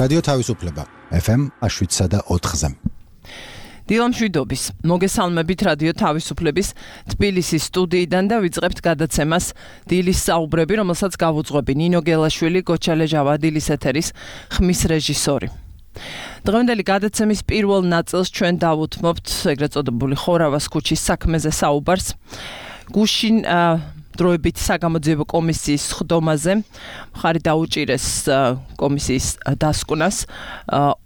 რადიო თავისუფლება FM 7.4-ზე. დილამშვიდობის. მოგესალმებით რადიო თავისუფლების თბილისის სტუდიიდან და ვიწყებთ გადაცემას დილის საუბრები, რომელსაც გავუძღვები ნინო გელაშვილი, გოჩალეჟავა, დილის ეთერის ხმის რეჟისორი. დღევანდელი გადაცემის პირველ ნაწილს ჩვენ დავუთმობთ ეგრეთ წოდებული ხორავას ქუჩის საქმეზე საუბარს. გუშინ დროებით საგამოძიებო კომისიის ხდომაზე მხარი დაუჭირეს კომისიის დასკვნას,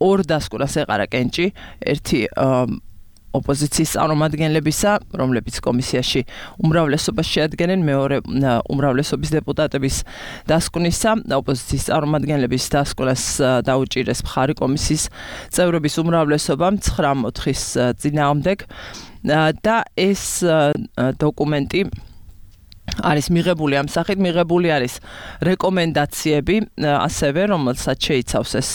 ორ დასკვნას ეყარა კენჭი, ერთი ოპოზიციის წარმომადგენლებისა, რომლებიც კომისიაში უმრავლესობას შეადგენენ, მეორე უმრავლესობის დეპუტატების დასკვნისა, ოპოზიციის წარმომადგენლების დასკვნას დაუჭირეს მხარი კომისიის წევრების უმრავლესობამ 9-4-ის წინააღმდეგ და ეს დოკუმენტი არის მიღებული ამ სახით, მიღებული არის რეკომენდაციები, ასევე რომელსაც შეიცავს ეს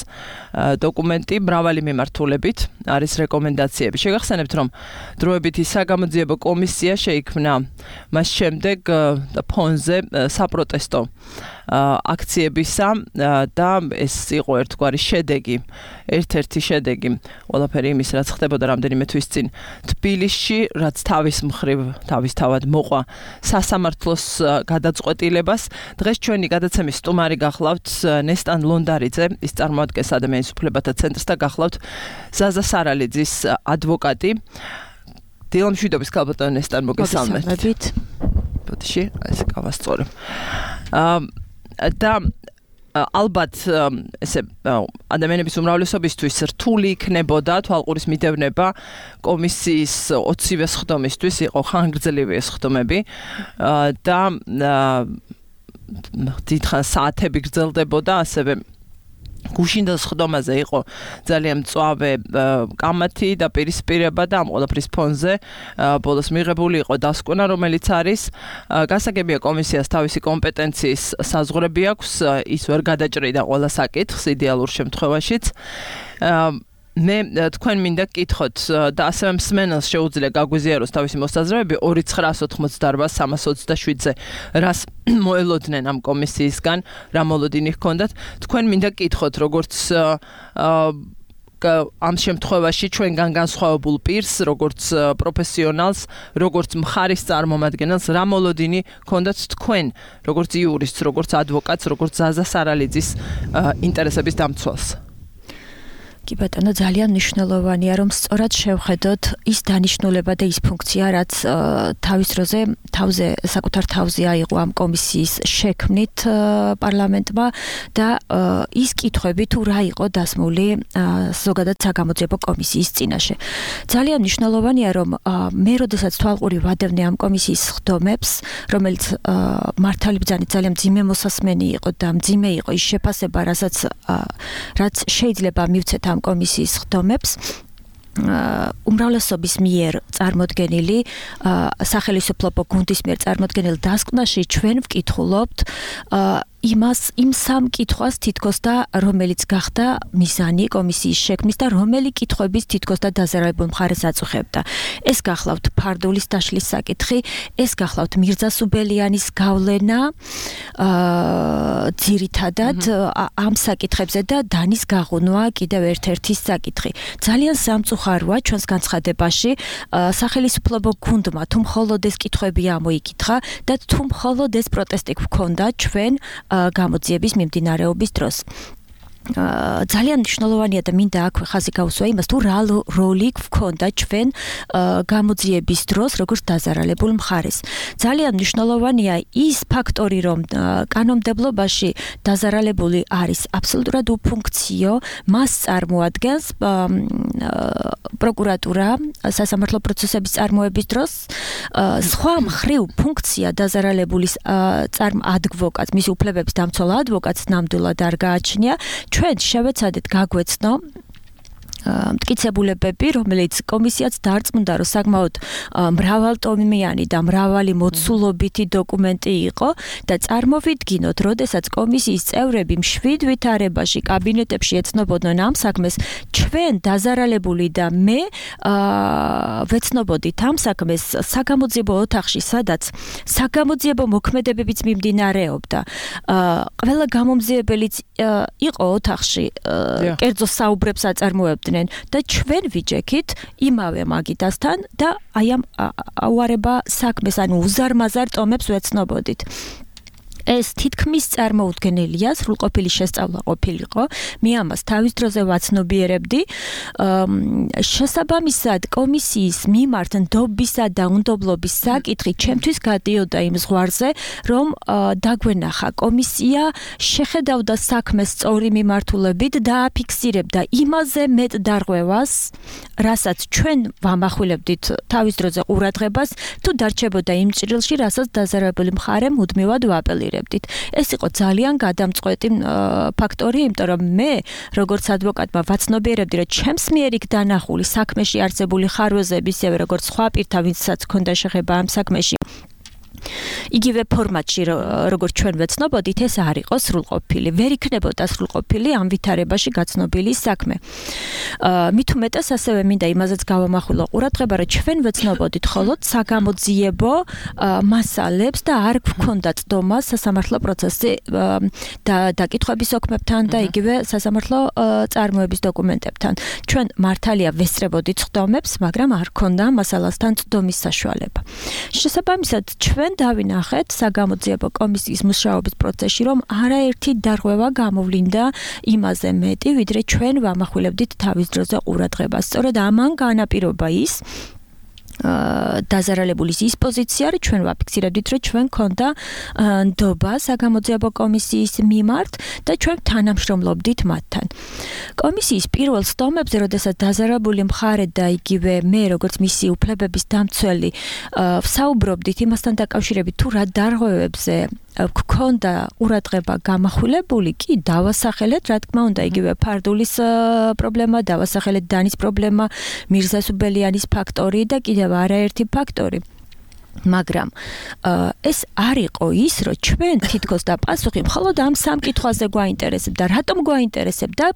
დოკუმენტი მრავალი მიმართულებით არის რეკომენდაციები. შეგახსენებთ, რომ დროებითი საგამოძიებო კომისია შეიქმნა მას შემდეგ ფონზე საპროტესტო აქციებისა და ეს იყო ერთგვარი შედეგი, ერთ-ერთი შედეგი ყველაფერი იმის, რაც ხდებოდა რამდენიმე თვის წინ თბილისში, რაც თავის მხრივ თავისთავად მოყვა სასამართლოს გადაწყვეტილებას. დღეს ჩვენი გადაცემის სტუმარი გახლავთ ნესტან ლონდარიძე, ის წარმოადგენს ადამიანის უფლებათა ცენტრს და გახლავთ ზაზა სარალიძის ადვოკატი. დილამშვიდობის ქალბატონო ნესტან, მოგესალმებით. ბოდიში, ესე გავასწორებ. და ალბათ ესე ადამიანების უმრავლესობისთვის რთული იქნებოდა თვალყურის მიდევნება კომისიის 20-ვე სხდომისთვის, იყო ხანგრძლივი ეს სხდომები და დიდხანს საათები გრძელდებოდა, ასევე გუშინდელ სხდომაზე იყო ძალიან მწვავე კამათი და პირისპირება და ამ ყველაფრის ფონზე ბოლოს მიღებული იყო დასკვნა, რომელიც არის გასაგებია კომისიას თავისი კომპეტენციის საზღვრები აქვს, ის ვერ გადაჭრიდა ყველა საკითხს იდეალურ შემთხვევაშიც. მე თქვენ მინდა გკითხოთ და ასევე მსმენელს შეუძლია გაგვიზიაროს თავისი მოსაზრებები 2988327-ზე რას მოელოდნენ ამ კომისიისგან, რა მოლოდინი ჰქონდათ. თქვენ მინდა გკითხოთ, როგორც ამ შემთხვევაში ჩვენგან განსხვავებულ პირს, როგორც პროფესიონალს, როგორც მხარის წარმომადგენელს, რა მოლოდინი ჰქონდათ თქვენ, როგორც იურისტს, როგორც ადვოკატს, როგორც ზაზა სარალიძის ინტერესების დამცველს. კი ბატონო, ძალიან მნიშვნელოვანია, რომ სწორად შევხედოთ ის დანიშნულება და ის ფუნქცია, რაც თავზე საკუთარ თავზე აიღო ამ კომისიის შექმნით პარლამენტმა და ის კითხვები თუ რა იყო დასმული ზოგადად საგამოძიებო კომისიის წინაშე. ძალიან მნიშვნელოვანია, რომ მე როდესაც თვალყური ვადევნე ამ კომისიის სხდომებს, რომელიც მართალი ბრძანით ძალიან მძიმე მოსასმენი იყო და მძიმე იყო ის შეფასება, რაც შეიძლება მივცეთ ამ კომისიის სხდომებს, უმრავლესობის მიერ წარმოდგენილი სახელმწიფო გუნდის მიერ წარმოდგენილ დასკვნაში ჩვენ ვკითხულობთ იმ სამ კითხვას თითქოს და რომელიც გახდა მიზანი კომისიის შექმნის და რომელი კითხვების თითქოს და დაზარალებულ მხარეს აწუხებდა. ეს გახლავთ ფარდულის დაშლის საკითხი, ეს გახლავთ მირზა სუბელიანის გავლენა ძირითადად ამ საკითხებზე და დანის გაღუნვა კიდევ ერთ-ერთი საკითხი. ძალიან სამწუხაროა ჩვენს განცხადებაში სახელმწიფო გუნდმა თუ მხოლოდ ეს კითხვები ამოიკითხა და თუ მხოლოდ ეს პროტესტი გვქონდა ჩვენ გამოძიების მიმდინარეობის დროს. ძალიან მნიშვნელოვანია და მინდა აქვე ხაზი გავუსვა იმას, თუ რა როლი გვქონდა ჩვენ გამოძიების დროს, როგორც დაზარალებულ მხარეს. ძალიან მნიშვნელოვანია ის ფაქტორი, რომ კანონმდებლობაში დაზარალებული არის აბსოლუტურად უფუნქციო, მას წარმოადგენს პროკურატურა სასამართლო პროცესების წარმოების დროს, სხვა მხრივ ფუნქცია დაზარალებულის ადვოკატს, მის უფლებების დამცველ ადვოკატს ნამდვილად არ გააჩნია. ჩვენ შევეცადეთ გაგვეცნო მტკიცებულებები, რომელიც კომისიაც დარწმუნდა, რომ საკმაოდ მრავალტომიანი და მრავალი მოცულობითი დოკუმენტი იყო და წარმოვიდგინოთ, როდესაც კომისიის წევრები მშვიდ ვითარებაში კაბინეტებში ეცნობოდნენ ამ საქმეს, ჩვენ დაზარალებული და მე ვეცნობოდით ამ საქმეს საგამოძიებო ოთახში, სადაც საგამოძიებო მოქმედებებიც მიმდინარეობდა. ყველა გამომძიებელიც იყო ოთახში, კერძო საუბრებს აწარმოებდნენ და ჩვენ ვიჯექით იმავე მაგიდასთან და აი ამ აუარება საქმეს, ანუ უზარმაზარ ტომებს ვეცნობოდით. ეს თითქმის წარმოუდგენელია, სრულყოფილი შესწავლა ყოფილიყო. მე ამას თავის დროზე ვაცნობიერებდი. შესაბამისად, კომისიის მიმართ ნდობისა და უნდობლობის საკითხი ჩემთვის გადიოდა იმ ზღვარზე, რომ დაგვენახა კომისია შეხედავდა საქმეს სწორი მიმართულებით და აფიქსირებდა იმაზე მეტ დარღვევას, რასაც ჩვენ ვამახვილებდით თავის დროზე ყურადღებას, თუ დარჩებოდა იმ ჭრილში, რასაც დაზარალებული მხარე მუდმივად ვაპელირებდა. ეს იყო ძალიან გადამწყვეტი ფაქტორი, იმიტომ რომ მე, როგორც ადვოკატმა, ვაცნობიერებდი, რომ ჩემს მიერ იქ დანახული საქმეში არსებული ხარვეზები, ისევე როგორც სხვა პირთა, ვინცაც ჰქონდა შეხება ამ საქმეში, იგივე ფორმატში, როგორც ჩვენ ვეცნობოდით, ეს არ იყო სრულყოფილი. ვერ იქნებოდა სრულყოფილი ამ ვითარებაში გაცნობილი საქმე. მით უმეტეს ასევე მინდა იმაზეც გავამახვილო ყურადღება, რომ ჩვენ ვეცნობოდით მხოლოდ საგამოძიებო მასალებს და არ გვქონდა წდომა სასამართლო პროცესში დაკითხვების ოქმებთან და იგივე სასამართლო წარმოების დოკუმენტებთან. ჩვენ მართალია ვესწრებოდით წდომებს, მაგრამ არ ქონდა მასალასთან წდომის საშუალება. შესაბამისად, ჩვენ დავინახეთ საგამოძიებო კომისიის მუშაობის პროცესში, რომ არაერთი დარღვევა გამოვლინდა იმაზე მეტი, ვიდრე ჩვენ ვამახვილებდით თავის დროზე ყურადღებას. სწორედ ამან განაპირობა ის დაზარალებულის ის პოზიცია, რომ ჩვენ ვაფიქსირებდით, რომ ჩვენ ქონდა ნდობა საგამოძიებო კომისიის მიმართ და ჩვენ თანამშრომლობდით მათთან. კომისიის პირველ სტომებზე, როდესაც დაზარალებული მხარე და იგივე მე, როგორც მისი უფლებების დამცველი, ვსაუბრობდით იმასთან დაკავშირებით, თუ რა დარღვევებზე გქონდა ყურადღება გამახვილებული, კი დავასახელეთ, რა თქმა უნდა, იგივე ფარდულის პრობლემა, დავასახელეთ დანის პრობლემა, მირზა სუბელიანის ფაქტორი და კიდევ არაერთი ფაქტორი. მაგრამ ეს არ იყო ის, რომ ჩვენ თითქოს და პასუხი მხოლოდ ამ სამ კითხვაზე გვაინტერესებდა. რატომ გვაინტერესებდა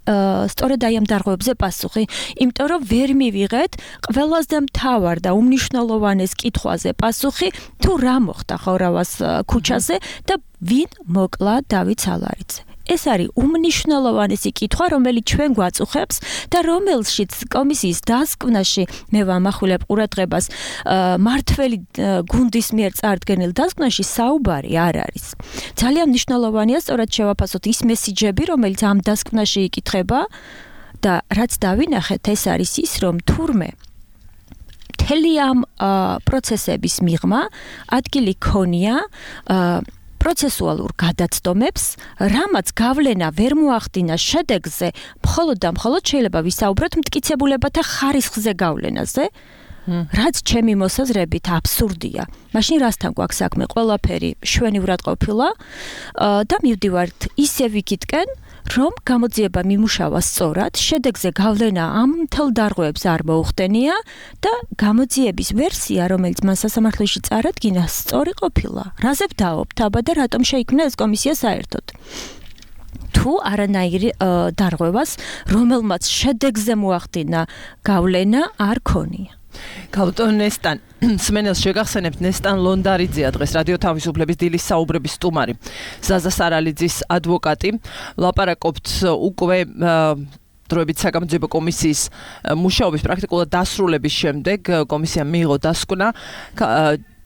სწორედ აი ამ დარღვევებზე პასუხი, იმიტომ რომ ვერ მივიღეთ ყველაზე მთავარ და უმნიშვნელოვანეს კითხვაზე პასუხი, თუ რა მოხდა ხორავას ქუჩაზე და ვინ მოკლა დავით სალარიძე. ეს არის უმნიშვნელოვანესი კითხვა, რომელიც ჩვენ გვაწუხებს და რომელშიც კომისიის დასკვნაში მე ვამახვილებ ყურადღებას მართველი გუნდის მიერ წარდგენილ დასკვნაში საუბარი არ არის. ძალიან მნიშვნელოვანია სწორად შევაფასოთ ის მესიჯები, რომელიც ამ დასკვნაში იკითხება და რაც დავინახეთ, ეს არის ის, რომ თურმე მთელი ამ პროცესების მიღმა ადგილი ქონია პროცესუალურ გადაცდომებს, რამაც გავლენა ვერ მოახდინა შედეგზე, მხოლოდ და მხოლოდ შეიძლება ვისაუბროთ მტკიცებულებათა ხარისხზე გავლენაზე, რაც ჩემი მოსაზრებით აბსურდია. მაშინ რასთან გვაქვს საქმე? ყველაფერი შვენივრად ყოფილა და მივდივართ ისევ იქითკენ, რომ გამოძიება მიმუშავა სწორად, შედეგზე გავლენა ამ მთელ დარღვევებს არ მოუხდენია და გამოძიების ვერსია, რომელიც მან სასამართლოში წარადგინა, სწორი ყოფილა. რაზე ვდაობთ აბა და რატომ შეიქმნა ეს კომისია საერთოდ? თუ არანაირი დარღვევას, რომელმაც შედეგზე მოახდინა გავლენა, არ ქონია. ქალბატონ ნესტან, სმენელს შეგახსენებთ, ნესტან ლონდარიძეა დღეს რადიო თავისუფლების დილის საუბრების სტუმარი, ზაზა სარალიძის ადვოკატი. ლაპარაკობთ უკვე დროებით საგამოძიებო კომისიის მუშაობის პრაქტიკულად დასრულების შემდეგ კომისიამ მიიღო დასკვნა.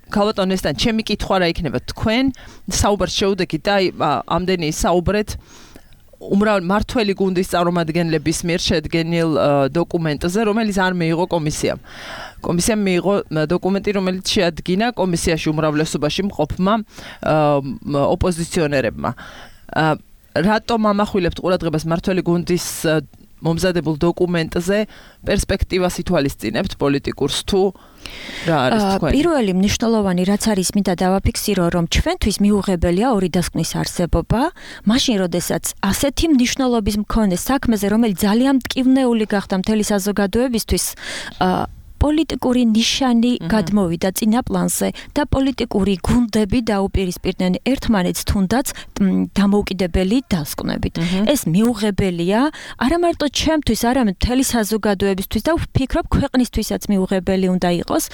ქალბატონ ნესტან, ჩემი კითხვა რა იქნება, თქვენ საუბარს შეუდექით და ამდენი საუბრეთ მართველი გუნდის წარმომადგენლების მიერ შედგენილ დოკუმენტზე, რომელიც არ მიიღო კომისიამ. კომისიამ მიიღო დოკუმენტი, რომელიც შეადგინა კომისიაში უმრავლესობაში მყოფმა ოპოზიციონერებმა. რატომ ამახვილებთ ყურადღებას მართველი გუნდის მომზადებულ დოკუმენტზე პერსპექტივას ითვალისწინებთ პოლიტიკურს თუ რა არის თქვენი? პირველი მნიშვნელოვანი რაც არის მინდა დავაფიქსირო რომ ჩვენთვის მიუღებელია ორი დასკვნის არსებობა, მაშინ როდესაც ასეთი მნიშვნელობის მქონე საქმეზე, რომელიც ძალიან მტკივნეული გახდა მთელი საზოგადოებისთვის, პოლიტიკური ნიშანი გადმოვიდა წინა პლანზე და პოლიტიკური გუნდები დაუპირისპირდნენ ერთმანეთს თუნდაც დამოუკიდებელი დასკვნებით. ეს მიუღებელია არა მარტო ჩემთვის, არამედ მთელი საზოგადოებისთვის და ვფიქრობ ქვეყნისთვისაც მიუღებელი უნდა იყოს.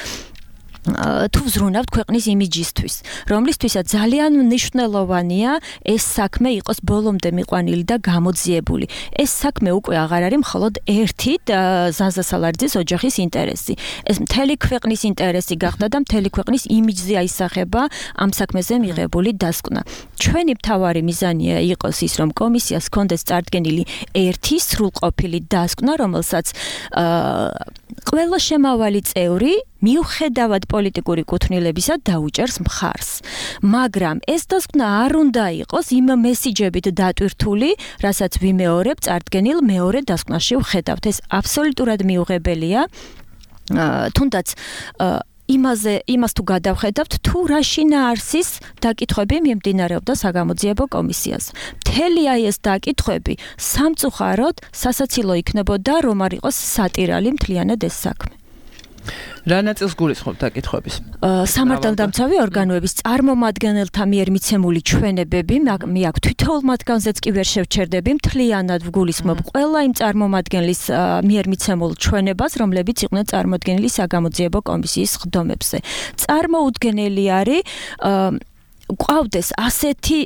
თუ ვზრუნავთ ქვეყნის იმიჯისთვის, რომლისთვისაც ძალიან მნიშვნელოვანია ეს საქმე იყოს ბოლომდე მიყვანილი და გამოძიებული. ეს საქმე უკვე აღარ არის მხოლოდ ერთი ზაზა სალარიძის ოჯახის ინტერესი. ეს მთელი ქვეყნის ინტერესი გახდა და მთელი ქვეყნის იმიჯზე აისახება ამ საქმეზე მიღებული დასკვნა. ჩვენი მთავარი მიზანია იყოს ის, რომ კომისიას ჰქონდეს წარდგენილი ერთი სრულყოფილი დასკვნა, რომელსაც ყველა შემავალი წევრი მიუხედავად პოლიტიკური კუთვნილებისა დაუჭერს მხარს. მაგრამ ეს დასკვნა არ უნდა იყოს იმ მესიჯებით დატვირთული, რასაც ვიმეორებ წარდგენილ მეორე დასკვნაში ვხედავთ. ეს აბსოლუტურად მიუღებელია. თუნდაც იმას თუ გადავხედავთ, თუ რა შინაარსის დაკითხვები მიმდინარეობდა საგამოძიებო კომისიას. მთელი ეს დაკითხვები სამწუხაროდ სასაცილო იქნებოდა, რომ არ იყოს სატირალი მთლიანად ეს საქმე. რა ნაწილს გულისხმობთ დაკითხვების? სამართალდამცავი ორგანოების წარმომადგენელთა მიერ მიცემული ჩვენებები, მე აქ თითოეულ მათგანზეც კი ვერ შევჩერდები, მთლიანად ვგულისხმობ ყველა იმ წარმომადგენლის მიერ მიცემულ ჩვენებას, რომლებიც იყვნენ წარმოდგენილი საგამოძიებო კომისიის ხდომებზე. წარმოუდგენელი არის გვყავდეს ასეთი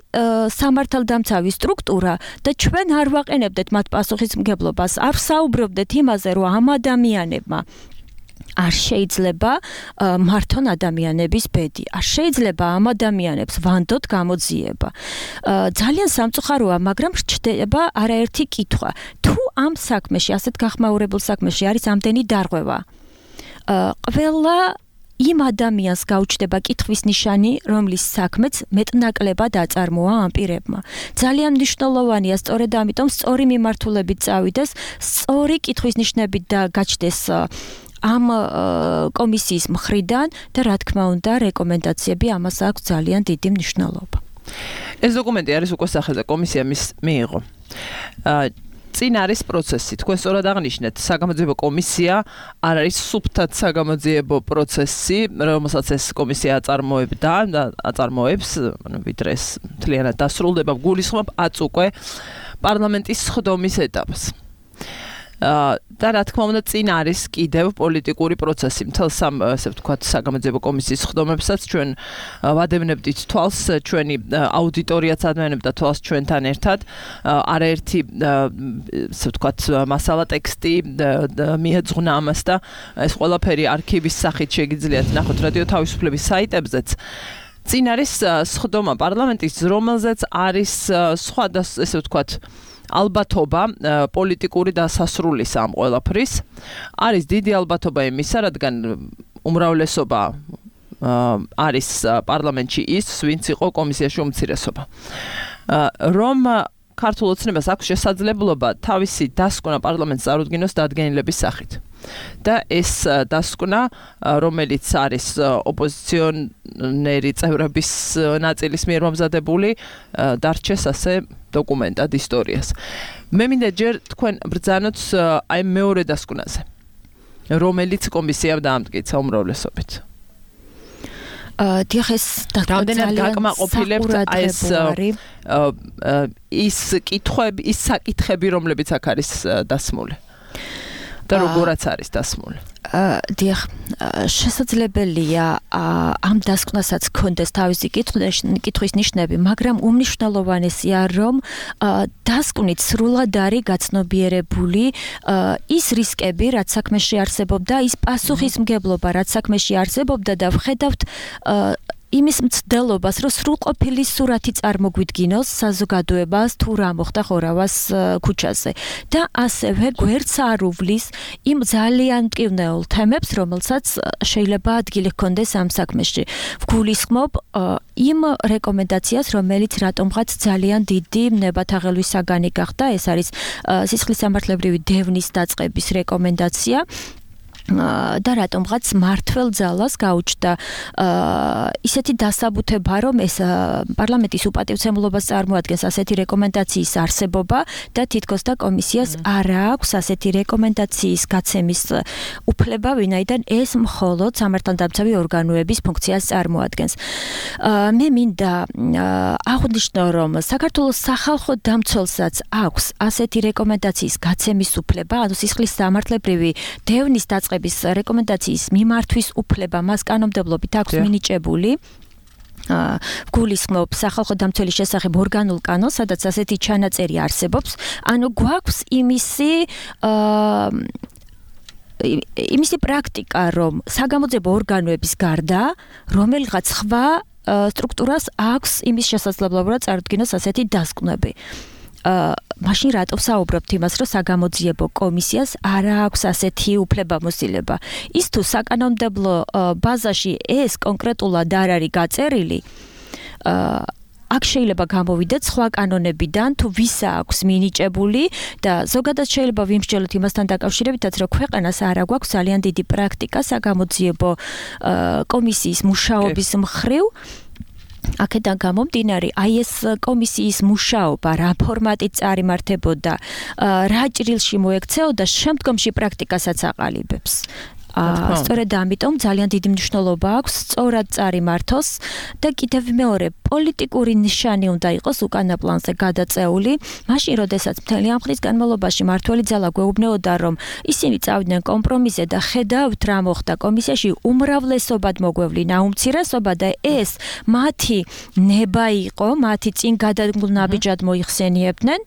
სამართალდამცავი სტრუქტურა და ჩვენ არ ვაყენებდეთ მათ პასუხისმგებლობას, არ ვსაუბრობდეთ იმაზე, რომ ამ ადამიანებმა არ შეიძლება მართონ ადამიანების ბედი. არ შეიძლება ამ ადამიანებს ვანდოთ გამოძიება. ძალიან სამწუხაროა, მაგრამ რჩება არაერთი კითხვა. თუ ამ საქმეში, ასეთ გახმაურებულ საქმეში არის ამდენი დარღვევა, ყველა იმ ადამიანს გაუჩნდება კითხვის ნიშანი, რომლის საქმეც მეტნაკლებად აწარმოა ამ პირებმა. ძალიან მნიშვნელოვანია, სწორედ ამიტომ სწორი მიმართულებით წავიდეს, სწორი კითხვის ნიშნებით და გაჩნდეს ამ კომისიის მხრიდან და რა თქმა უნდა რეკომენდაციები ამას აქვს ძალიან დიდი მნიშვნელობა. ეს დოკუმენტი არის უკვე სახელზე კომისია მიიღო. წინ არის პროცესი. თქვენ სწორად აღნიშნეთ, საგამოძიებო კომისია არ არის სუფთად საგამოძიებო პროცესი, რომელსაც ეს კომისია აწარმოებდა და აწარმოებს, ვიდრე ეს მთლიანად დასრულდება, გულისხმობ აწ უკვე პარლამენტის სხდომის ეტაპს. და რა თქმა უნდა წინ არის კიდევ პოლიტიკური პროცესი. მთელს ამ ესე ვთქვათ საგამოძიებო კომისიის ხდომებსაც ჩვენ ვადევნებდით თვალს, ჩვენი აუდიტორიაც ადევნებდა თვალს ჩვენთან ერთად. არაერთი ესე ვთქვათ მასალა ტექსტი მიეძღვნა ამას და ეს ყველაფერი არქივის სახით შეგიძლიათ ნახოთ რადიო თავისუფლების საიტებზეც. წინ არის სხდომა პარლამენტის, რომელზეც არის სხვა ესე ვთქვათ ალბათობა პოლიტიკური დასასრულის ამ ყველაფრის. არის დიდი ალბათობა იმისა, რადგან უმრავლესობა არის პარლამენტში ის, ვინც იყო კომისიაში უმცირესობა. რომ ქართულ ოცნებას აქვს შესაძლებლობა თავისი დასკვნა პარლამენტს წარუდგინოს დადგენილების სახით. და ეს დასკვნა, რომელიც არის ოპოზიციონერი წევრების ნაწილის მიერ მომზადებული, დარჩეს ასე დოკუმენტად ისტორიას. მე მინდა ჯერ თქვენ ბრძანოთ აი მეორე დასკვნაზე, რომელიც კომისიამ დაამტკიცა უმრავლესობით. დიახ, ეს რამდენად გაკმაყოფილებთ ის კითხვები, ის საკითხები, რომლებიც აქ არის დასმული. და როგორაც არის დასმული. დიახ, შესაძლებელია ამ დასკვნასაც ჰქონდეს თავისი კითხვის ნიშნები, მაგრამ უმნიშვნელოვანესია, რომ დასკვნით სრულად არის გაცნობიერებული ის რისკები, რაც საქმეში არსებობდა, ის პასუხისმგებლობა, რაც საქმეში არსებობდა და ვხედავთ იმის მცდელობას, რომ სრულყოფილი სურათი წარმოგვიდგინოს საზოგადოებას თუ რა მოხდა ხორავას ქუჩაზე და ასევე გვერდს არ უვლის იმ ძალიან მტკივნეულ თემებს, რომელსაც შეიძლება ადგილი ჰქონდეს ამ საქმეში. ვგულისხმობ იმ რეკომენდაციას, რომელიც რატომღაც ძალიან დიდი ნებათაღელვის საგანი გახდა, ეს არის სისხლის სამართლებრივი დევნის დაწყების რეკომენდაცია. და რატომღაც მართლ ძალას გაუჩნდა ისეთი დასაბუთება, რომ ეს პარლამენტის უპატივცემლობას წარმოადგენს ასეთი რეკომენდაციის არსებობა და თითქოს და კომისიას არ აქვს ასეთი რეკომენდაციის გაცემის უფლება, ვინაიდან ეს მხოლოდ სამართალდამცავი ორგანოების ფუნქციას წარმოადგენს. მე მინდა აღვნიშნო, რომ საქართველოს სახალხო დამცველსაც აქვს ასეთი რეკომენდაციის გაცემის უფლება, ანუ სისხლის სამართლებრივი დევნის დაწყების რეკომენდაციის მიმართვის უფლება მას კანონმდებლობით აქვს მინიჭებული. ვგულისხმობ სახალხო დამცველის შესახებ ორგანულ კანონს, სადაც ასეთი ჩანაწერი არსებობს. ანუ გვაქვს იმისი პრაქტიკა, რომ საგამოძიებო ორგანოების გარდა რომელიღაც სხვა სტრუქტურას აქვს იმის შესაძლებლობა, რომ წარდგინოს ასეთი დასკვნები. მაშინ რატო ვსაუბრობთ იმას, რომ საგამოძიებო კომისიას არ აქვს ასეთი უფლებამოსილება? ის თუ საკანონმდებლო ბაზაში ეს კონკრეტულად არ არის გაწერილი, აქ შეიძლება გამოვიდეთ სხვა კანონებიდან, თუ ვის აქვს მინიჭებული და ზოგადად შეიძლება ვიმსჯელოთ იმასთან დაკავშირებითაც, რომ ქვეყანას არ აქვს ძალიან დიდი პრაქტიკა საგამოძიებო კომისიის მუშაობის მხრივ. აქედან გამომდინარე, აი ეს კომისიის მუშაობა რა ფორმატით წარიმართებოდა, რა ჭრილში მოექცეოდა, შემდგომში პრაქტიკასაც აყალიბებს. სწორედ ამიტომ ძალიან დიდი მნიშვნელობა აქვს სწორად წარიმართოს და კიდევ მეორე პოლიტიკური ნიშანი უნდა იყოს უკანა პლანზე გადაწეული, მაშინ როდესაც მთელი ამ ხნის განმავლობაში მართველი ძალა გვეუბნეოდა, რომ ისინი წავიდნენ კომპრომისზე და ხედავთ რა მოხდა კომისიაში, უმრავლესობად მოგვევლინა უმცირესობა და ეს მათი ნება იყო, მათი წინ გადადგმულ ნაბიჯად მოიხსენიებდნენ.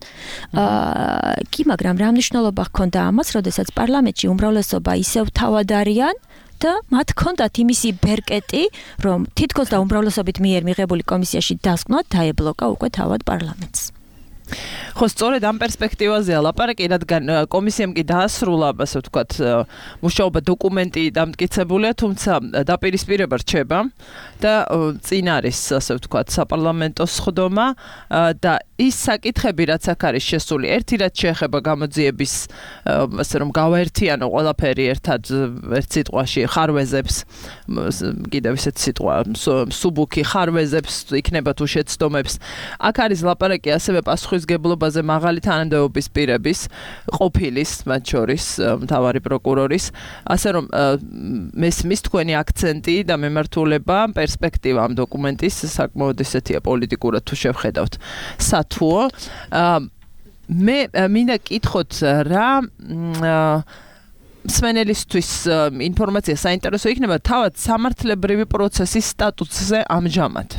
კი, მაგრამ რა მნიშვნელობა ჰქონდა ამას, როდესაც პარლამენტში უმრავლესობა ისევ თავად არიან და მათ ჰქონდათ იმისი ბერკეტი, რომ თითქოს და უმრავლესობით მიერ მიღებული კომისიაში დასკვნად დაებლოკა უკვე თავად პარლამენტს. ხო, სწორედ ამ პერსპექტივაზეა ლაპარაკი, რადგან კომისიამ კი დაასრულა, ასე ვთქვათ, მუშაობა დოკუმენტი დამტკიცებულია, თუმცა დაპირისპირება რჩება და წინ არის, ასე ვთქვათ, საპარლამენტო სხდომა და ის საკითხები, რაც აქ არის შესული, ერთი რაც შეეხება გამოძიების, ასე რომ გავაერთიანო ყველაფერი ერთად, ერთ სიტყვაში ხარვეზებს, კიდევ ისეთი სიტყვა, სუბუქი ხარვეზებს იქნება თუ შეცდომებს. აქ არის ლაპარაკი ასევე პასუხისგებლობაზე მაღალი თანამდებობის პირების, ყოფილის, მათ შორის მთავარი პროკურორის, ასე რომ მესმის თქვენი აქცენტი და მემართულება, პერსპექტივა ამ დოკუმენტის საკმაოდ ისეთია პოლიტიკურად თუ შევხედავთ. სათუო, მე მინდა კითხოთ რა მსმენელისთვის ინფორმაცია საინტერესო იქნება თავად სამართლებრივი პროცესის სტატუსზე ამჟამად.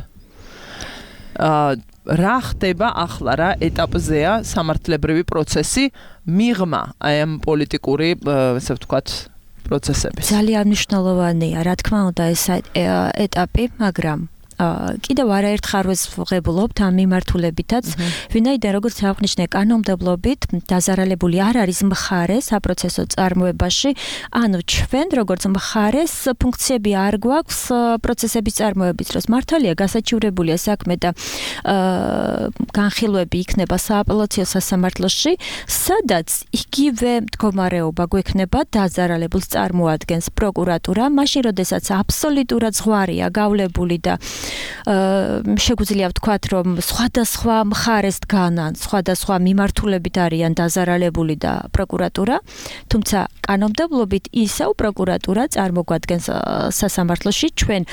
რა ხდება ახლა, რა ეტაპზეა სამართლებრივი პროცესი მიღმა აი ამ პოლიტიკური, ასე ვთქვათ, პროცესების. ძალიან მნიშვნელოვანია, რა თქმა უნდა, ეს ეტაპი, მაგრამ კიდევ არაერთ ხარვეს ვღებულობთ ამ მიმართულებითაც, ვინაიდან როგორც აღნიშნე კანონმდებლობით დაზარალებული არ არის მხარე საპროცესო წარმოებაში, ანუ ჩვენ როგორც მხარეს ფუნქციები არ გვაქვს პროცესების წარმოების დროს. მართალია გასაჩივრებულია საქმე და განხილვები იქნება სააპელაციო სასამართლოში, სადაც იგივე მდგომარეობა გვექნება, დაზარალებულს წარმოადგენს პროკურატურა, მაშინ როდესაც აბსოლუტურად ზღვარია გავლებული და შეგვიძლია ვთქვათ, რომ სხვადასხვა მხარეს დგანან, სხვადასხვა მიმართულებით არიან დაზარალებული და პროკურატურა, თუმცა კანონმდებლობით ისევ პროკურატურა წარმოგვადგენს სასამართლოში ჩვენ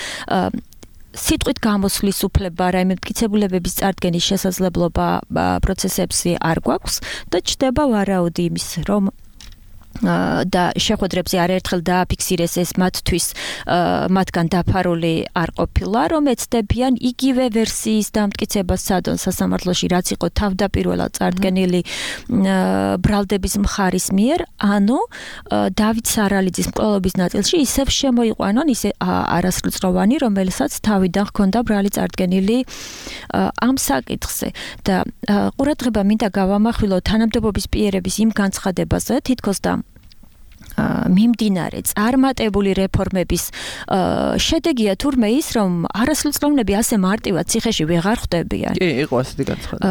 სიტყვით გამოსვლის უფლება, რაიმე მტკიცებულებების წარდგენის შესაძლებლობა პროცესებში არ გვაქვს და ჩნდება ვარაუდი იმის, რომ და შეხვედრებზე არაერთხელ დააფიქსირეს ეს მათთვის მათგან დაფარული არ ყოფილა, რომ ეცდებიან იგივე ვერსიის დამტკიცებას სადონ სასამართლოში, რაც იყო თავდაპირველად წარდგენილი ბრალდების მხარის მიერ, ანუ დავით სარალიძის მკვლელობის ნაწილში ისევ შემოიყვანონ ისე არასრულწლოვანი, რომელსაც თავიდან ჰქონდა ბრალი წარდგენილი ამ საკითხზე და ყურადღება მინდა გავამახვილო თანამდებობის პირების იმ განცხადებაზე, თითქოს და მიმდინარე წარმატებული რეფორმების შედეგია თურმე ის, რომ არასრულწლოვნები ასე მარტივად ციხეში ვეღარ ხვდებიან. კი, იყო ასეთი განცხადება.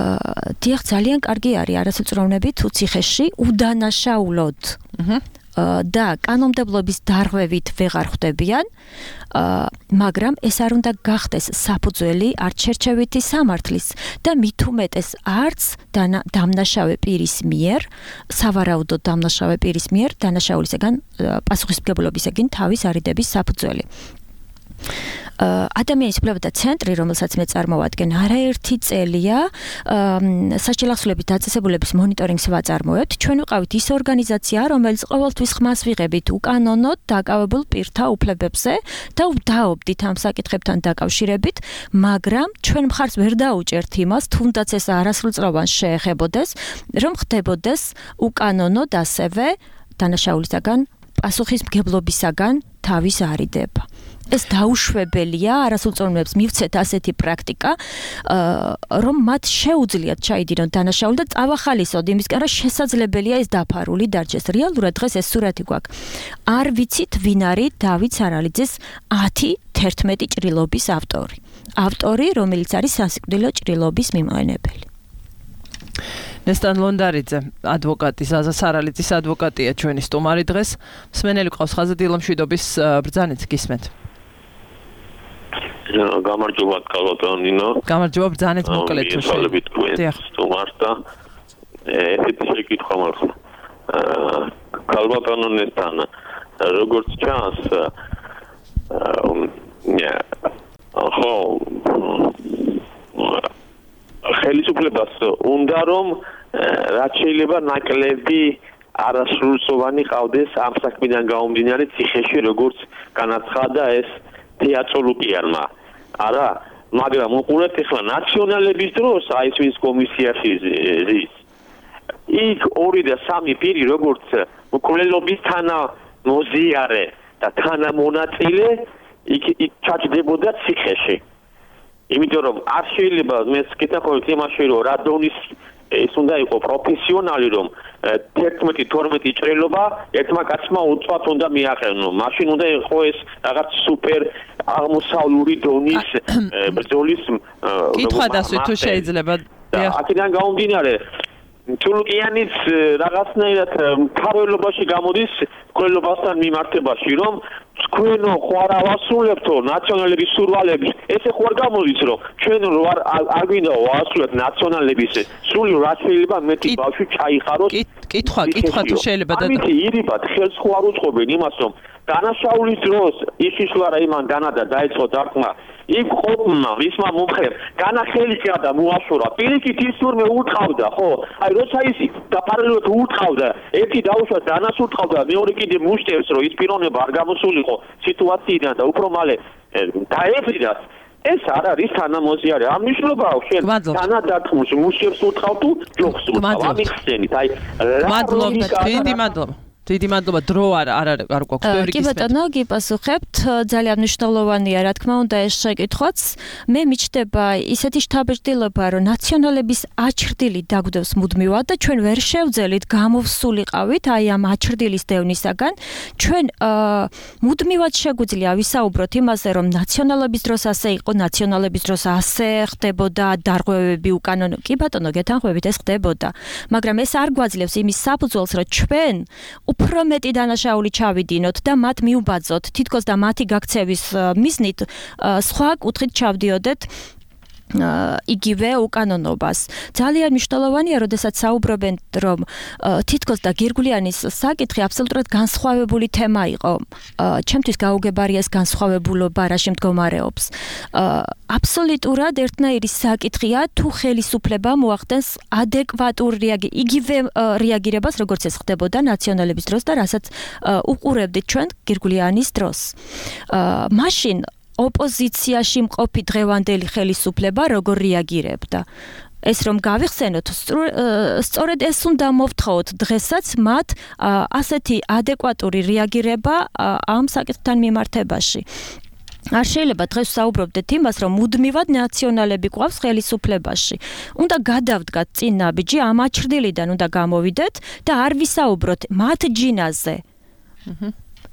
დიახ, ძალიან კარგი არის არასრულწლოვნები თუ ციხეში უდანაშაულოდ და კანონმდებლობის დარღვევით ვეღარ ხვდებიან, მაგრამ ეს არ უნდა გახდეს საფუძველი არც შერჩევითი სამართლის და მით უმეტეს არც დამნაშავე პირის მიერ, სავარაუდოდ დამნაშავე პირის მიერ დანაშაულისაგან პასუხისმგებლობისაგან თავის არიდების საფუძველი. ადამიანის უფლებათა ცენტრი, რომელსაც მე წარმოვადგენ, არაერთი წელია სასჯელახსულების დაწესებულების მონიტორინგს ვაწარმოებთ. ჩვენ ვიყავით ის ორგანიზაცია, რომელიც ყოველთვის ხმას ვიღებით უკანონოდ დაკავებულ პირთა უფლებებზე და ვდაობდით ამ საკითხებთან დაკავშირებით, მაგრამ ჩვენ მხარს ვერ დაუჭერთ იმას, თუნდაც ეს არასრულწლოვანს შეეხებოდეს, რომ ხდებოდეს უკანონოდ ასევე დანაშაულისაგან პასუხისმგებლობისაგან თავის არიდება. ეს დაუშვებელია, არასრულწლოვნებს მივცეთ ასეთი პრაქტიკა, რომ მათ შეუძლიათ ჩაიდინონ დანაშაული და წავახალისოთ იმისკენ, რომ შესაძლებელია ეს დაფარული დარჩეს. რეალურად დღეს ეს სურათი გვაქვს. არ ვიცით, ვინ არის დავით სარალიძის 10-11 ჭრილობის ავტორი. ავტორი, რომელიც არის სასიკვდილო ჭრილობის მიმყენებელი. ნესტან ლონდარიძე, ადვოკატი, ზაზა სარალიძის ადვოკატია ჩვენი სტუმარი დღეს. მსმენელი ყავს ხაზზე დილომშვიდობის ბრძანეთ, გისმენთ. გამარჯობა კალბატონინო. გამარჯობა ბრძანეთ მოკლედ თუ შეიძლება. სტუმარს და ესეთი შეკითხვა მაქვს. კალბატონინოსთან როგორც ჩანს ხელისუფლებას უნდა რომ რაც შეიძლება ნაკლები არასრულწლოვანი ყავდეს ამ საქმიდან გამომდინარე ციხეში, როგორც განაცხადა ეს თეატროლოგიარმა. არა, მაგრამ უყურეთ ახლა ნაციონალების დროს აი ეს ვინც კომისიაში ზის. იქ 2 და 3 პირი როგორც მკვლელობის თანამოზიარე და თანამონაწილე იქ ჩაჯდებოდა ციხეში. იმიტომ რომ არ შეიძლება მე ვკითხავთ იმაში რომ რა დონის ეს უნდა იყოს პროფესიონალი რომ 11-12 ჭრილობა ერთმა კაცმა უწვათ უნდა მიაყენო. მაშინ უნდა იყოს ეს რაღაც სუპერ აღმოსავლური დონის ბრძოლის კითხვა დასვით თუ შეიძლება. აქედან გამომდინარე თურქიანიც რაღაცნაირად მთავრობაში გამოდის მკვლელობასთან მიმართებაში რომ თქვენო ხوار ავასრულებთო ნაციონალების სურვალებს ესე ხوار გამოდის რომ ჩვენ არ გვინდა ვასრულებთ ნაციონალების სული რა შეიძლება მეტი ბავშვი ჩაიხაროს კითხვა თუ შეიძლება და ამით ირიბად ხელს ხوار უწყობენ იმას რომ დანაშაულის დროს ისიშლა რა იმან განადა დაიწყო დარტყმა იქ ყოფნა ვისმა მომხერ განახელი და მოაშორა პირიქით ის თურმე უთყავდა ხო აი როცა ის დაფარულად უთყავდა ერთი დაუშვა დანას უთყავდა მეორე კიდე მუშტერს რომ ის პიროვნება არ გამოსულიყო სიტუაციიდან და უფრო მალე დაეფრიდას ეს არ არის თანამოზიარე ამ მნიშვნელობაა შენ თანადარტყმის მუშტერს უთყავ თუ ჯოხს უთყავ ამიხსენით აი მადლობა დიდი მადლობა დრო არ გვაქვს ბევრი კი ბატონო გიპასუხებთ ძალიან მნიშვნელოვანია რა თქმა უნდა ეს შეკითხვაც მე მიჩნდება ისეთი შთაბეჭდილება რომ ნაციონალების აჩრდილი დაგვდევს მუდმივად და ჩვენ ვერ შევძელით გამოვსულიყავით აი ამ აჩრდილის დევნისაგან ჩვენ მუდმივად შეგვიძლია ვისაუბროთ იმაზე რომ ნაციონალების დროს ასე იყო ნაციონალების დროს ასე ხდებოდა დარღვევები უკანონო კი ბატონო გეთანხმებით ეს ხდებოდა მაგრამ ეს არ გვაძლევს იმის საფუძველს რომ ჩვენ უფრო მეტი დანაშაული ჩავიდინოთ და მათ მიუბაძოთ თითქოს და მათი გაქცევის მიზნით სხვა კუთხით ჩავდიოდეთ იგივე უკანონობას. ძალიან მნიშვნელოვანია, როდესაც საუბრობენ, რომ თითქოს და გირგვლიანის საკითხი აბსოლუტურად განსხვავებული თემა იყო. ჩემთვის გაუგებარია ეს განსხვავებულობა რაში მდგომარეობს. აბსოლუტურად ერთნაირი საკითხია, თუ ხელისუფლება მოახდენს ადეკვატურ იგივე რეაგირებას, როგორც ეს ხდებოდა ნაციონალების დროს და რასაც უყურებდით ჩვენ გირგვლიანის დროს. მაშინ ოპოზიციაში მყოფი დღევანდელი ხელისუფლება როგორ რეაგირებდა? ეს რომ გავიხსენოთ, სწორედ ეს უნდა მოვთხოვოთ დღესაც მათ ასეთი ადეკვატური რეაგირება ამ საკითხთან მიმართებაში. არ შეიძლება დღეს საუბრობდეთ იმას, რომ მუდმივად ნაციონალები გვყავს ხელისუფლებაში. უნდა გადავდგათ წინ ნაბიჯი, ამ აჩრდილიდან უნდა გამოვიდეთ და არ ვისაუბროთ მათ ჯინაზე.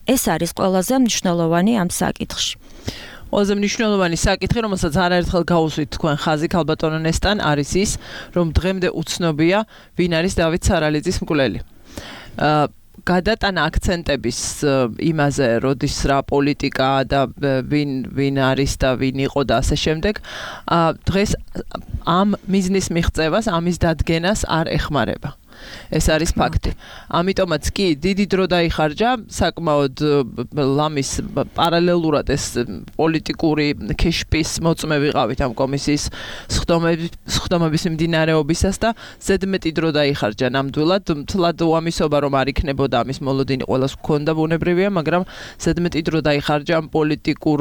ეს არის ყველაზე მნიშვნელოვანი ამ საკითხში. ყველაზე მნიშვნელოვანი საკითხი, რომელსაც არაერთხელ გაუსვით თქვენ ხაზი ქალბატონო ნესტან, არის ის, რომ დღემდე უცნობია, ვინ არის დავით სარალიძის მკვლელი. გადატანა აქცენტების იმაზე, როდის რა პოლიტიკა და ვინ არის და ვინ იყო და ასე შემდეგ, დღეს ამ მიზნის მიღწევას, ამის დადგენას არ ეხმარება. ეს არის ფაქტი. ამიტომაც კი დიდი დრო დაიხარჯა საკმაოდ ლამის პარალელურად ეს პოლიტიკური ქეშპის მოწმე ვიყავით ამ კომისიის სხდომების მიმდინარეობისას და ზედმეტი დრო დაიხარჯა ნამდვილად. თლად უამისობა რომ არ იქნებოდა ამის მოლოდინი ყველას გქონდა ბუნებრივია, მაგრამ ზედმეტი დრო დაიხარჯა ამ პოლიტიკურ,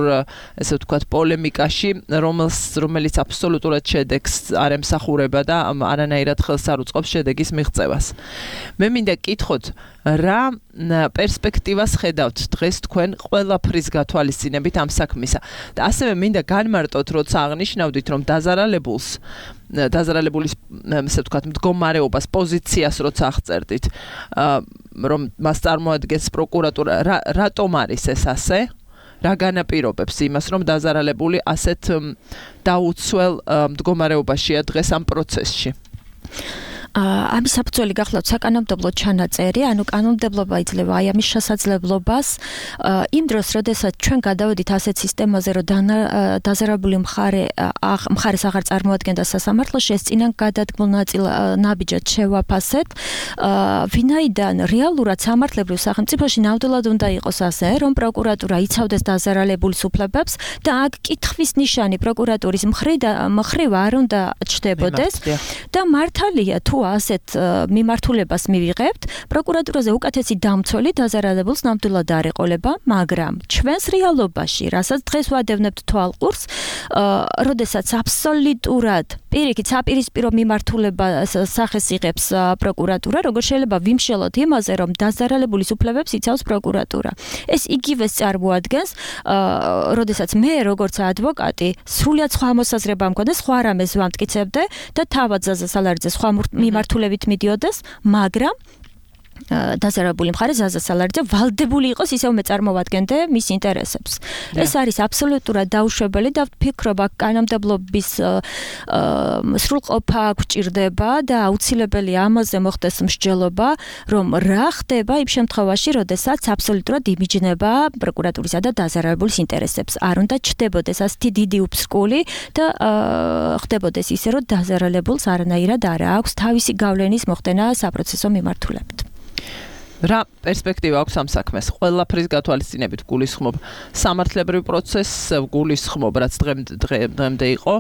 ესე ვთქვათ, პოლემიკაში, რომელიც აბსოლუტურად შედეგს არ ემსახურება და არანაირად ხელს არ უწყობს შედეგის მიღწევას. მე მინდა გკითხოთ, რა პერსპექტივას ხედავთ დღეს თქვენ ყველაფრის გათვალისწინებით ამ საქმისა და ასევე მინდა განმარტოთ, როცა აღნიშნავდით, რომ დაზარალებულის ესე ვთქვათ, მდგომარეობას, პოზიციას როცა აღწერდით, რომ მას წარმოადგენს პროკურატურა, რატომ არის ეს ასე? რა განაპირობებს იმას, რომ დაზარალებული ასეთ დაუცველ მდგომარეობაშია დღეს ამ პროცესში? ამის საფუძველი გახლავთ საკანონმდებლო ჩანაწერი, ანუ კანონმდებლობა იძლევა აი ამის შესაძლებლობას იმ დროს, როდესაც ჩვენ გადავედით ასეთ სისტემაზე, რომ დაზარალებული მხარეს აღარ წარმოადგენდა სასამართლოში, ეს წინან გადადგმულ ნაბიჯად შევაფასეთ, ვინაიდან რეალურად სამართლებრივ სახელმწიფოში ნამდვილად უნდა იყოს ასე, რომ პროკურატურა იცავდეს დაზარალებულის უფლებებს და აქ კითხვის ნიშანი პროკურატურის მხრივ არ უნდა ჩნდებოდეს და მართალია თუ ასეთ მიმართულებას მივიღებთ, პროკურატურაზე უკეთესი დამცველი დაზარალებულს ნამდვილად არ ეყოლება, მაგრამ ჩვენს რეალობაში, რასაც დღეს ვადევნებთ თვალყურს, როდესაც აბსოლუტურად პირიქით საპირისპირო მიმართულებას სახეს იღებს პროკურატურა, როგორ შეიძლება ვიმშელოთ იმაზე, რომ დაზარალებულის უფლებებს იცავს პროკურატურა. ეს იგივეს წარმოადგენს, როდესაც მე როგორც ადვოკატი სრულად სხვა მოსაზრება მქონდა, სხვა რამეს ვამტკიცებდე და თავად ზაზა სალარიძე სხვა მიმართულებით მიდიოდეს, მაგრამ დაზარალებული მხარე ზაზა სალარიძე ვალდებული იყოს ისევ მე წარმოვადგენდე მის ინტერესებს. ეს არის აბსოლუტურად დაუშვებელი და ვფიქრობ, აქ კანონმდებლობის სრულყოფა გვჭირდება და აუცილებელი ამაზე მოხდეს მსჯელობა, რომ რა ხდება იმ შემთხვევაში, როდესაც აბსოლუტურად იმიჯნება პროკურატურისა და დაზარალებულის ინტერესებს. არ უნდა ჩნდებოდეს ასეთი დიდი უფსკული და ხდებოდეს ისე, რომ დაზარალებულს არანაირად არ აქვს თავისი გავლენის მოხდენა საპროცესო მიმართულებით. რა პერსპექტივა აქვს ამ საქმეს? ყველაფრის გათვალისწინებით გულისხმობ სამართლებრივ პროცესს, გულისხმობ რაც დღემდე იყო,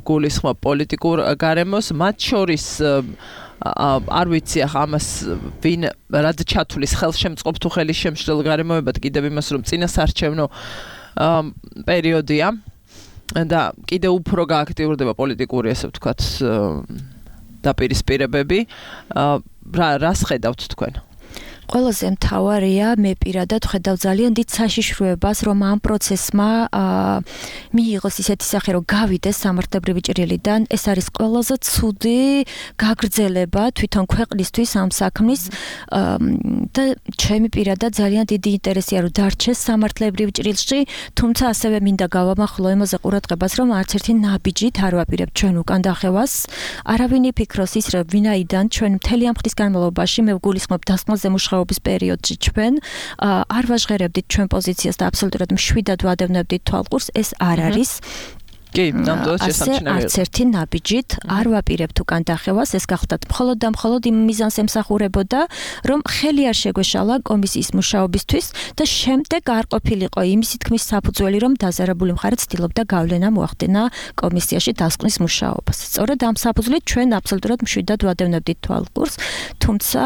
გულისხმობ პოლიტიკურ გარემოს, მათ შორის არ ვიცი ახლა ამას ვინ რად ჩათვლის ხელშემწყობ თუ ხელისშემშლელ გარემოებად, კიდევ იმას რომ წინასარჩევნო პერიოდია და კიდევ უფრო გააქტიურდება პოლიტიკური, ესე ვთქვათ, დაპირისპირებები. რას ხედავთ თქვენ? ყველაზე მთავარია, მე პირადად ხედავ ძალიან დიდ საშიშროებას, რომ ამ პროცესმა მიიღოს ისეთი სახე, რომ გავიდეს სამართლებრივი ჭრილიდან. ეს არის ყველაზე ცუდი გაგრძელება თვითონ ქვეყნისთვის ამ საქმის და ჩემი პირადად ძალიან დიდი ინტერესია, რომ დარჩეს სამართლებრივ ჭრილში, თუმცა ასევე მინდა გავამახვილო იმაზე ყურადღებას, რომ არც ერთი ნაბიჯით არ ვაპირებთ ჩვენ უკან დახევას. არავინ იფიქროს ის, რომ ვინაიდან ჩვენ მთელი ამ ხნის განმავლობაში მე ვგულისხმობ დასკვნაზე მუშაობის პერიოდში ჩვენ არ ვაჟღერებდით ჩვენ პოზიციას და აბსოლუტურად მშვიდად ვადევნებდით თვალყურს, ეს არ არის. კი, ნამდვილად შესამჩნევია. არც ერთი ნაბიჯით არ ვაპირებთ უკან დახევას, ეს გახლდათ მხოლოდ და მხოლოდ იმ მიზანს ემსახურებოდა, რომ ხელი არ შეგვეშალა კომისიის მუშაობისთვის და შემდეგ არ ყოფილიყო იმისი თქმის საფუძველი, რომ დაზარებული მხარე ცდილობდა გავლენა მოახდენა კომისიაში დასკვნის მუშაობას. სწორედ ამ საფუძვლით ჩვენ აბსოლუტურად მშვიდად ვადევნებდით თვალყურს, თუმცა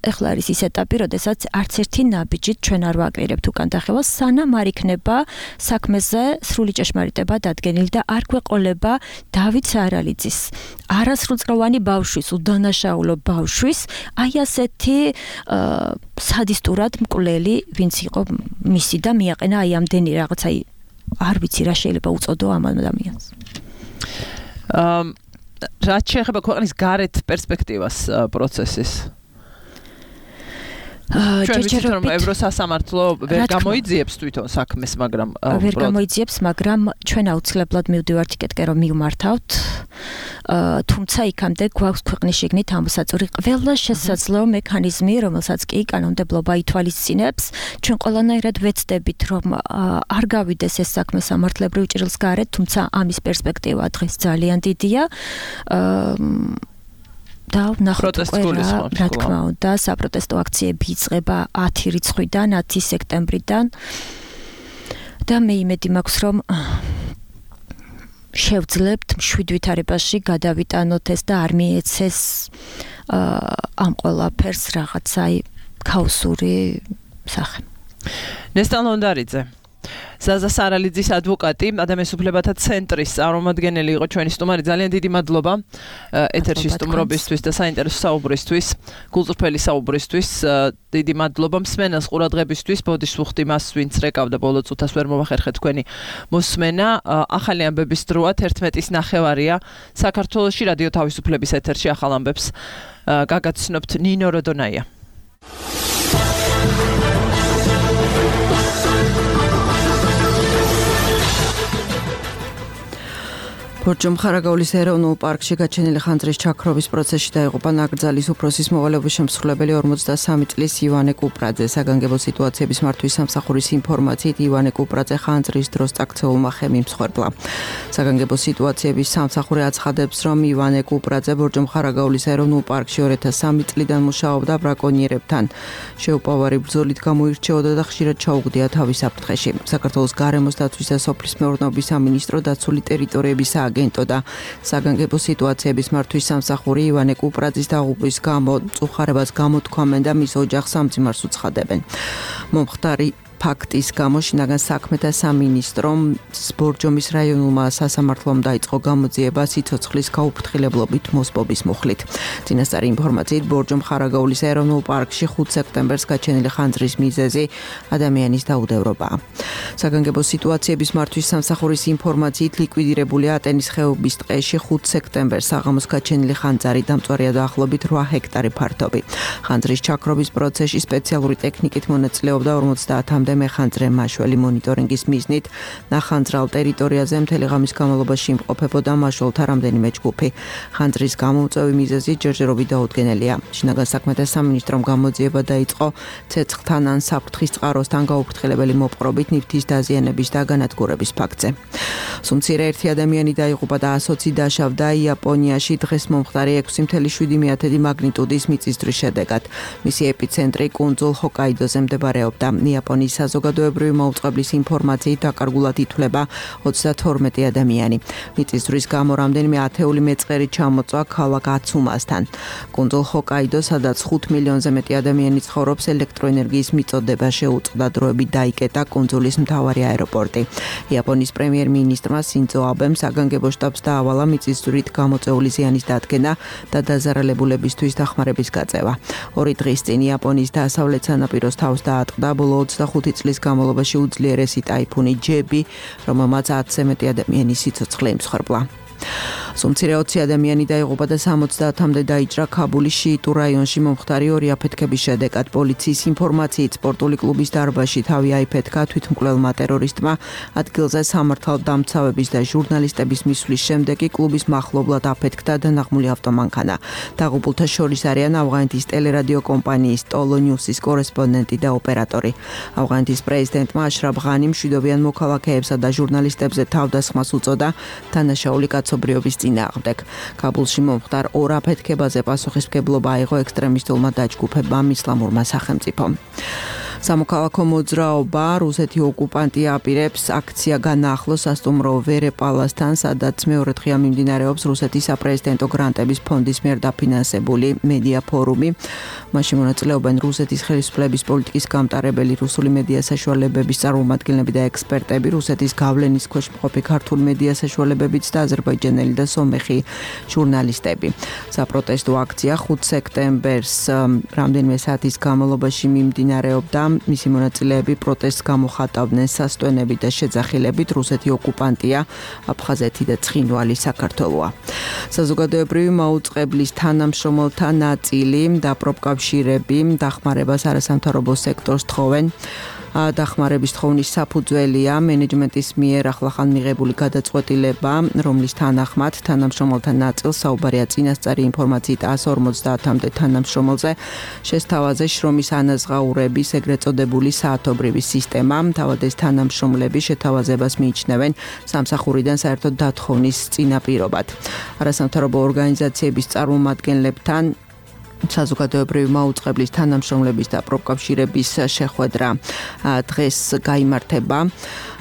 ეხლა არის ის ეტაპი, როდესაც არც ერთი ნაბიჯით ჩვენ არ ვაპირებთ უკან დახევას, სანამ არ იქნება საქმეზე სრული ჭეშმარიტება დადგენილი და არ გვეყოლება დავით სარალიძის არასრულწლოვანი ბავშვის, უდანაშაულო ბავშვის, აი ასეთი სადისტურად მკვლელი, ვინც იყო მისი და მიაყენა აი ამდენი რაღაც, აი არ ვიცი რა შეიძლება უწოდო ამ ადამიანს. რაც შეეხება ქვეყნის გარეთ პერსპექტივას პროცესის. ჩვენ ვიცით რომ ევროსასამართლო ვერ გამოიძიებს თვითონ საქმეს, მაგრამ ვერ გამოიძიებს, მაგრამ ჩვენ აუცილებლად მივდივართ იქეთკენ რომ მივმართავთ. თუმცა იქამდე გვაქვს ქვეყნის შიგნით ამოსაწური ყველა შესაძლო მექანიზმი, რომელსაც კი კანონმდებლობა ითვალისწინებს. ჩვენ ყველანაირად ვეცდებით რომ არ გავიდეს ეს საქმე სამართლებრივ ჭრილს გარეთ, თუმცა ამის პერსპექტივა დღეს ძალიან დიდია. და ნახოთ რა თქმა უნდა, საპროტესტო აქციები იწყება 10 რიცხვიდან, 10 სექტემბრიდან და მე იმედი მაქვს, რომ შევძლებთ მშვიდ ვითარებაში გადავიტანოთ ეს და არ მიეცეს ამ ყველაფერს რაღაცა ქაოსური სახე. ნესტან ლონდარიძე, ზაზა სარალიძის ადვოკატი, ადამიანის უფლებათა ცენტრის წარმომადგენელი იყო ჩვენი სტუმარი. ძალიან დიდი მადლობა ეთერში სტუმრობისთვის და საინტერესო საუბრისთვის, გულწრფელი საუბრისთვის. დიდი მადლობა მსმენელს ყურადღებისთვის. ბოდიშს ვუხდი მას, ვინც რეკავდა ბოლო წუთას ვერ მოვახერხეთ თქვენი მოსმენა. ახალი ამბების დროა 11:09 საქართველოში რადიო თავისუფლების ეთერში ახალ ამბებს გაგაცნობთ ნინო როდონაია. ბორჯომ ხარაგაულის ეროვნულ პარკში გაჩენილი ხანძრის ჩაქრობის პროცესში დაიღუპა ნაკრძალის უფროსის მოვალეობის შემსრულებელი 43 წლის ივანე კუპრაძე. საგანგებო სიტუაციების მართვის სამსახურის ინფორმაციით ივანე კუპრაძე ხანძრის დროს წაქცეულმა ხემი მსხვერპლა. საგანგებო სიტუაციების სამსახური აცხადებს, რომ ივანე კუპრაძე ბორჯომ ხარაგაულის ეროვნულ პარკში 2003 წლიდან მუშაობდა ბრაკონიერებთან. შეუპოვარი ბრძოლით გამოირჩეოდა და ხშირად ჩაუგდია თავის საფრთხეში. საქართველოს გარემოს დაცვის და სოფლის მეურნეობის სამინისტრო დაცული ტერიტორიების აგენტო და საგანგებო სიტუაციების მართვის სამსახური ივანე კუპრაძის დაღუპვის გამო მწუხარებას გამოთქვამენ და მის ოჯახს სამძიმარს უცხადებენ. მომხდარი ფაქტის გამო შინაგან საქმეთა სამინისტრომ ბორჯომის რაიონულმა სასამართლომ დაიწყო გამოძიება სიცოცხლის გაუფრთხილებლობით მოსპობის მუხლით. წინასწარი ინფორმაციით ბორჯომ ხარაგაულის ეროვნულ პარკში 5 სექტემბერს გაჩენილი ხანძრის მიზეზი ადამიანის დაუდევრობაა. საგანგებო სიტუაციების მართვის სამსახურის ინფორმაციით ლიკვიდირებულია ატენის ხეობის ტყეში 5 სექტემბერს საღამოს გაჩენილი ხანძარი დამწვარია დაახლოებით 8 ჰექტარი ფართობი. ხანძრის ჩაქრობის პროცესში სპეციალური ტექნიკით მონაწილეობდა 50-მდე მეხანძრე მაშველი მონიტორინგის მიზნით ნახანძრალ ტერიტორიაზე მთელი ღამის განმავლობაში იმყოფებოდა მაშველთა რამდენიმე ჯგუფი. ხანძრის გამომწვევი მიზეზი ჯერჯერობით დაუდგენელია. შინაგან საქმეთა სამინისტრომ გამოძიება დაიწყო ცეცხლთან ან საფრთხის წყაროსთან გაუფრთხილებელი მოპყრობით ნივთის დაზიანების და განადგურების ფაქტზე. სუმცირე ერთი ადამიანი დაიღუპა და 120 დაშავდა იაპონიაში დღეს მომხდარი 6.7 მაგნიტუდის მიწისძვრის შედეგად. მისი ეპიცენტრი კუნძულ ჰოკაიდოზე მდებარეობდა. იაპონიის საზოგადოებრივი მაუწყებლის ინფორმაციით დაკარგულად ითვლება 32 ადამიანი. მიწისძვრის გამო რამდენიმე ათეული მეწყერი ჩამოწვა ქალაქ აცუმასთან. კუნძულ ჰოკაიდო, სადაც 5 მილიონზე მეტი ადამიანი ცხოვრობს, ელექტროენერგიის მიწოდება შეუწყდა, დროებით დაიკეტა კუნძულის მთავარი აეროპორტი. იაპონიის პრემიერ-მინისტრმა სინძო აბემ საგანგებო შტაბს დაავალა მიწისძვრით გამოწვეული ზიანის დადგენა და დაზარალებულებისთვის დახმარების გაწევა. 2 დღის წინ იაპონიის დასავლეთ სანაპიროს თავს დაატყდა ბოლო 25 წლის განმავლობაში უძლიერესი ტაიფუნი ჯები, რომელმაც 10-ზე მეტი ადამიანის სიცოცხლე იმსხვერპლა. მცირე 20 ადამიანი დაიღუპა და 70-მდე დაიჭრა ქაბულის შიიტურ რაიონში მომხდარი ორი აფეთქების შედეგად. პოლიციის ინფორმაციით სპორტული კლუბის დარბაზში თავი აიფეთქა თვითმკვლელმა ტერორისტმა. ადგილზე სამართალდამცავების და ჟურნალისტების მისვლის შემდეგ კი კლუბის მახლობლად აფეთქდა დანაღმული ავტომანქანა. დაღუპულთა შორის არიან ავღანეთის ტელერადიო კომპანიის ტოლო ნიუსის კორესპონდენტი და ოპერატორი. ავღანეთის პრეზიდენტმა აშრაფ ღანი მშვიდობიან მოქალაქეებსა და ჟურნალისტებზე თავდასხმას უწოდა დანაშაული კაცობრიობის წინააღმდეგ. ქაბულში მომხდარ ორ აფეთქებაზე პასუხისმგებლობა აიღო ექსტრემისტულმა დაჯგუფებამ ისლამურმა სახელმწიფომ. სამოქალაქო მოძრაობა რუსეთი ოკუპანტი აპირებს აქცია განაახლოს სასტუმრო ვერეპალასთან, სადაც მეორე დღეა მიმდინარეობს რუსეთის საპრეზიდენტო გრანტების ფონდის მიერ დაფინანსებული მედია ფორუმი. მასში მონაწილეობენ რუსეთის ხელისუფლების პოლიტიკის გამტარებელი რუსული მედია საშუალებების წარმომადგენლები და ექსპერტები, რუსეთის გავლენის ქვეშ მყოფი ქართული მედია საშუალებებიც და აზერბაიჯანელი და სომეხი ჟურნალისტები. საპროტესტო აქცია 5 სექტემბერს რამდენიმე საათის განმავლობაში მიმდინარეობდა. მისი მონაწილეები პროტესტს გამოხატავდნენ სასტვენებით და შეძახილებით. რუსეთი ოკუპანტია, აფხაზეთი და ცხინვალი საქართველოა. საზოგადოებრივი მაუწყებლის თანამშრომელთა ნაწილი და პროფკავშირები დახმარებას არასამთავრობო სექტორს თხოვენ. დახმარების თხოვნის საფუძველია მენეჯმენტის მიერ ახლახან მიღებული გადაწყვეტილება, რომლის თანახმად თანამშრომელთა ნაწილს საუბარია წინასწარი ინფორმაციით 150-მდე თანამშრომელზე შესთავაზე შრომის ანაზღაურების ეგრეთ წოდებული საათობრივი სისტემა. თავად ეს თანამშრომლები შეთავაზებას მიიჩნევენ სამსახურიდან საერთოდ დათხოვნის წინაპირობად. არასამთავრობო ორგანიზაციების წარმომადგენლებთან საზოგადოებრივი მაუწყებლის თანამშრომლების და პროფკავშირების შეხვედრა დღეს გაიმართება.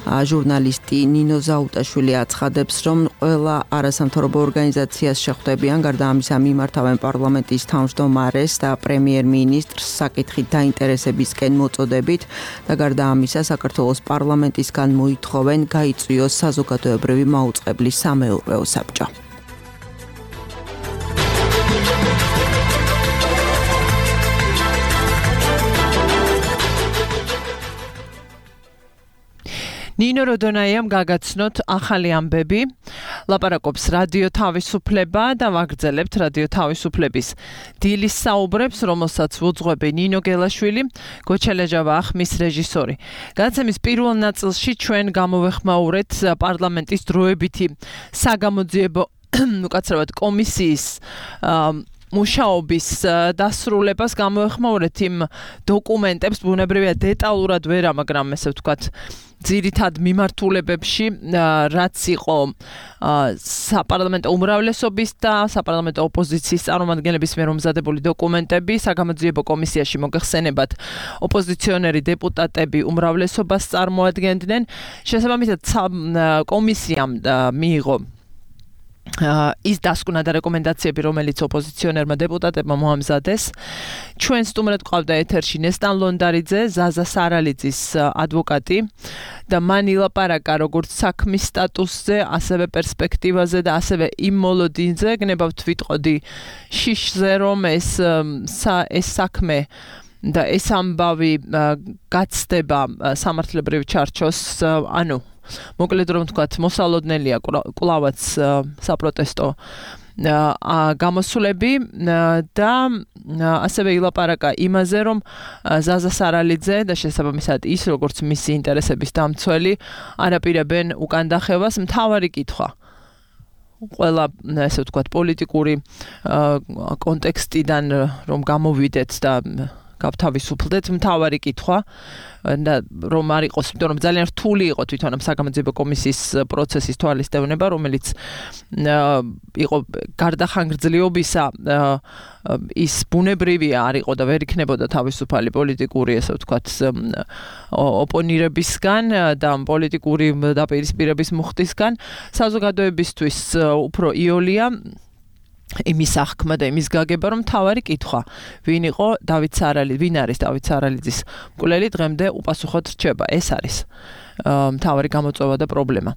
ჟურნალისტი ნინო ზაუტაშვილი აცხადებს, რომ ყველა არასამთავრობო ორგანიზაციას შეხვდებიან, გარდა ამისა მიმართავენ პარლამენტის თავმჯდომარეს და პრემიერ-მინისტრს საკითხით დაინტერესებისკენ მოწოდებით და გარდა ამისა საქართველოს პარლამენტისგან მოითხოვენ გაიწვიოს საზოგადოებრივი მაუწყებლის სამეურვეო საბჭო. ნინო როდონაიამ გაგაცნოთ ახალი ამბები, ლაპარაკობს რადიო თავისუფლება და ვაგრძელებთ რადიო თავისუფლების დილის საუბრებს, რომელსაც უძღვები ნინო გელაშვილი, გოჩელეჯავა ახმის რეჟისორი. გადაცემის პირველ ნაწილში ჩვენ გამოვეხმაურეთ პარლამენტის დროებითი საგამოძიებო უკაცრავად კომისიის მუშაობის დასრულებას გამოვეხმაურეთ იმ დოკუმენტებს, ბუნებრივია დეტალურად ვერა, მაგრამ ესე ვთქვათ, ძირითად მიმართულებებში, რაც იყო საპარლამენტო უმრავლესობის და საპარლამენტო ოპოზიციის წარმომადგენლების მიერ მომზადებული დოკუმენტები, საგამოძიებო კომისიაში მოგეხსენებათ ოპოზიციონერი დეპუტატები უმრავლესობას წარმოადგენდნენ. შესაბამისად, კომისიამ მიიღო ის დასკვნა და რეკომენდაციები, რომელიც ოპოზიციონერმა დეპუტატებმა მოამზადეს. ჩვენ სტუმრად ყავდა ეთერში ნესტან ლონდარიძე, ზაზა სარალიძის ადვოკატი და მან ილაპარაკა როგორც საქმის სტატუსზე, ასევე პერსპექტივაზე და ასევე იმ მოლოდინზე, გნებავთ ვიტყოდი შიშზე, რომ ეს საქმე და ეს ამბავი გაცდება სამართლებრივ ჩარჩოს, ანუ მოკლედ რომ ვთქვათ, მოსალოდნელია კვლავაც საპროტესტო გამოსვლები და ასევე ილაპარაკა იმაზე, რომ ზაზა სარალიძე და შესაბამისად ის, როგორც მისი ინტერესების დამცველი, არაპირებენ უკან დახევას. მთავარი კითხვა ყველა, ესე ვთქვათ, პოლიტიკური კონტექსტიდან რომ გამოვიდეთ და გავთავისუფლდეთ, მთავარი კითხვა და რომ არ იყოს, იმიტომ რომ ძალიან რთული იყო თვითონ ამ საგამოძიებო კომისიის პროცესის თვალისწვნება, რომელიც იყო გარდა ხანგრძლივობისა ის ბუნებრივია არ იყო და ვერ იქნებოდა თავისუფალი პოლიტიკური, ესე ვთქვათ, ოპონირებისგან და პოლიტიკური დაპირისპირების მუხტისგან. საზოგადოებისთვის უფრო იოლია იმის აღქმა და იმის გაგება, რომ მთავარი კითხვა, ვინ არის დავით სარალიძის მკვლელი, დღემდე უპასუხოდ რჩება. ეს არის მთავარი გამოწვევა და პრობლემა.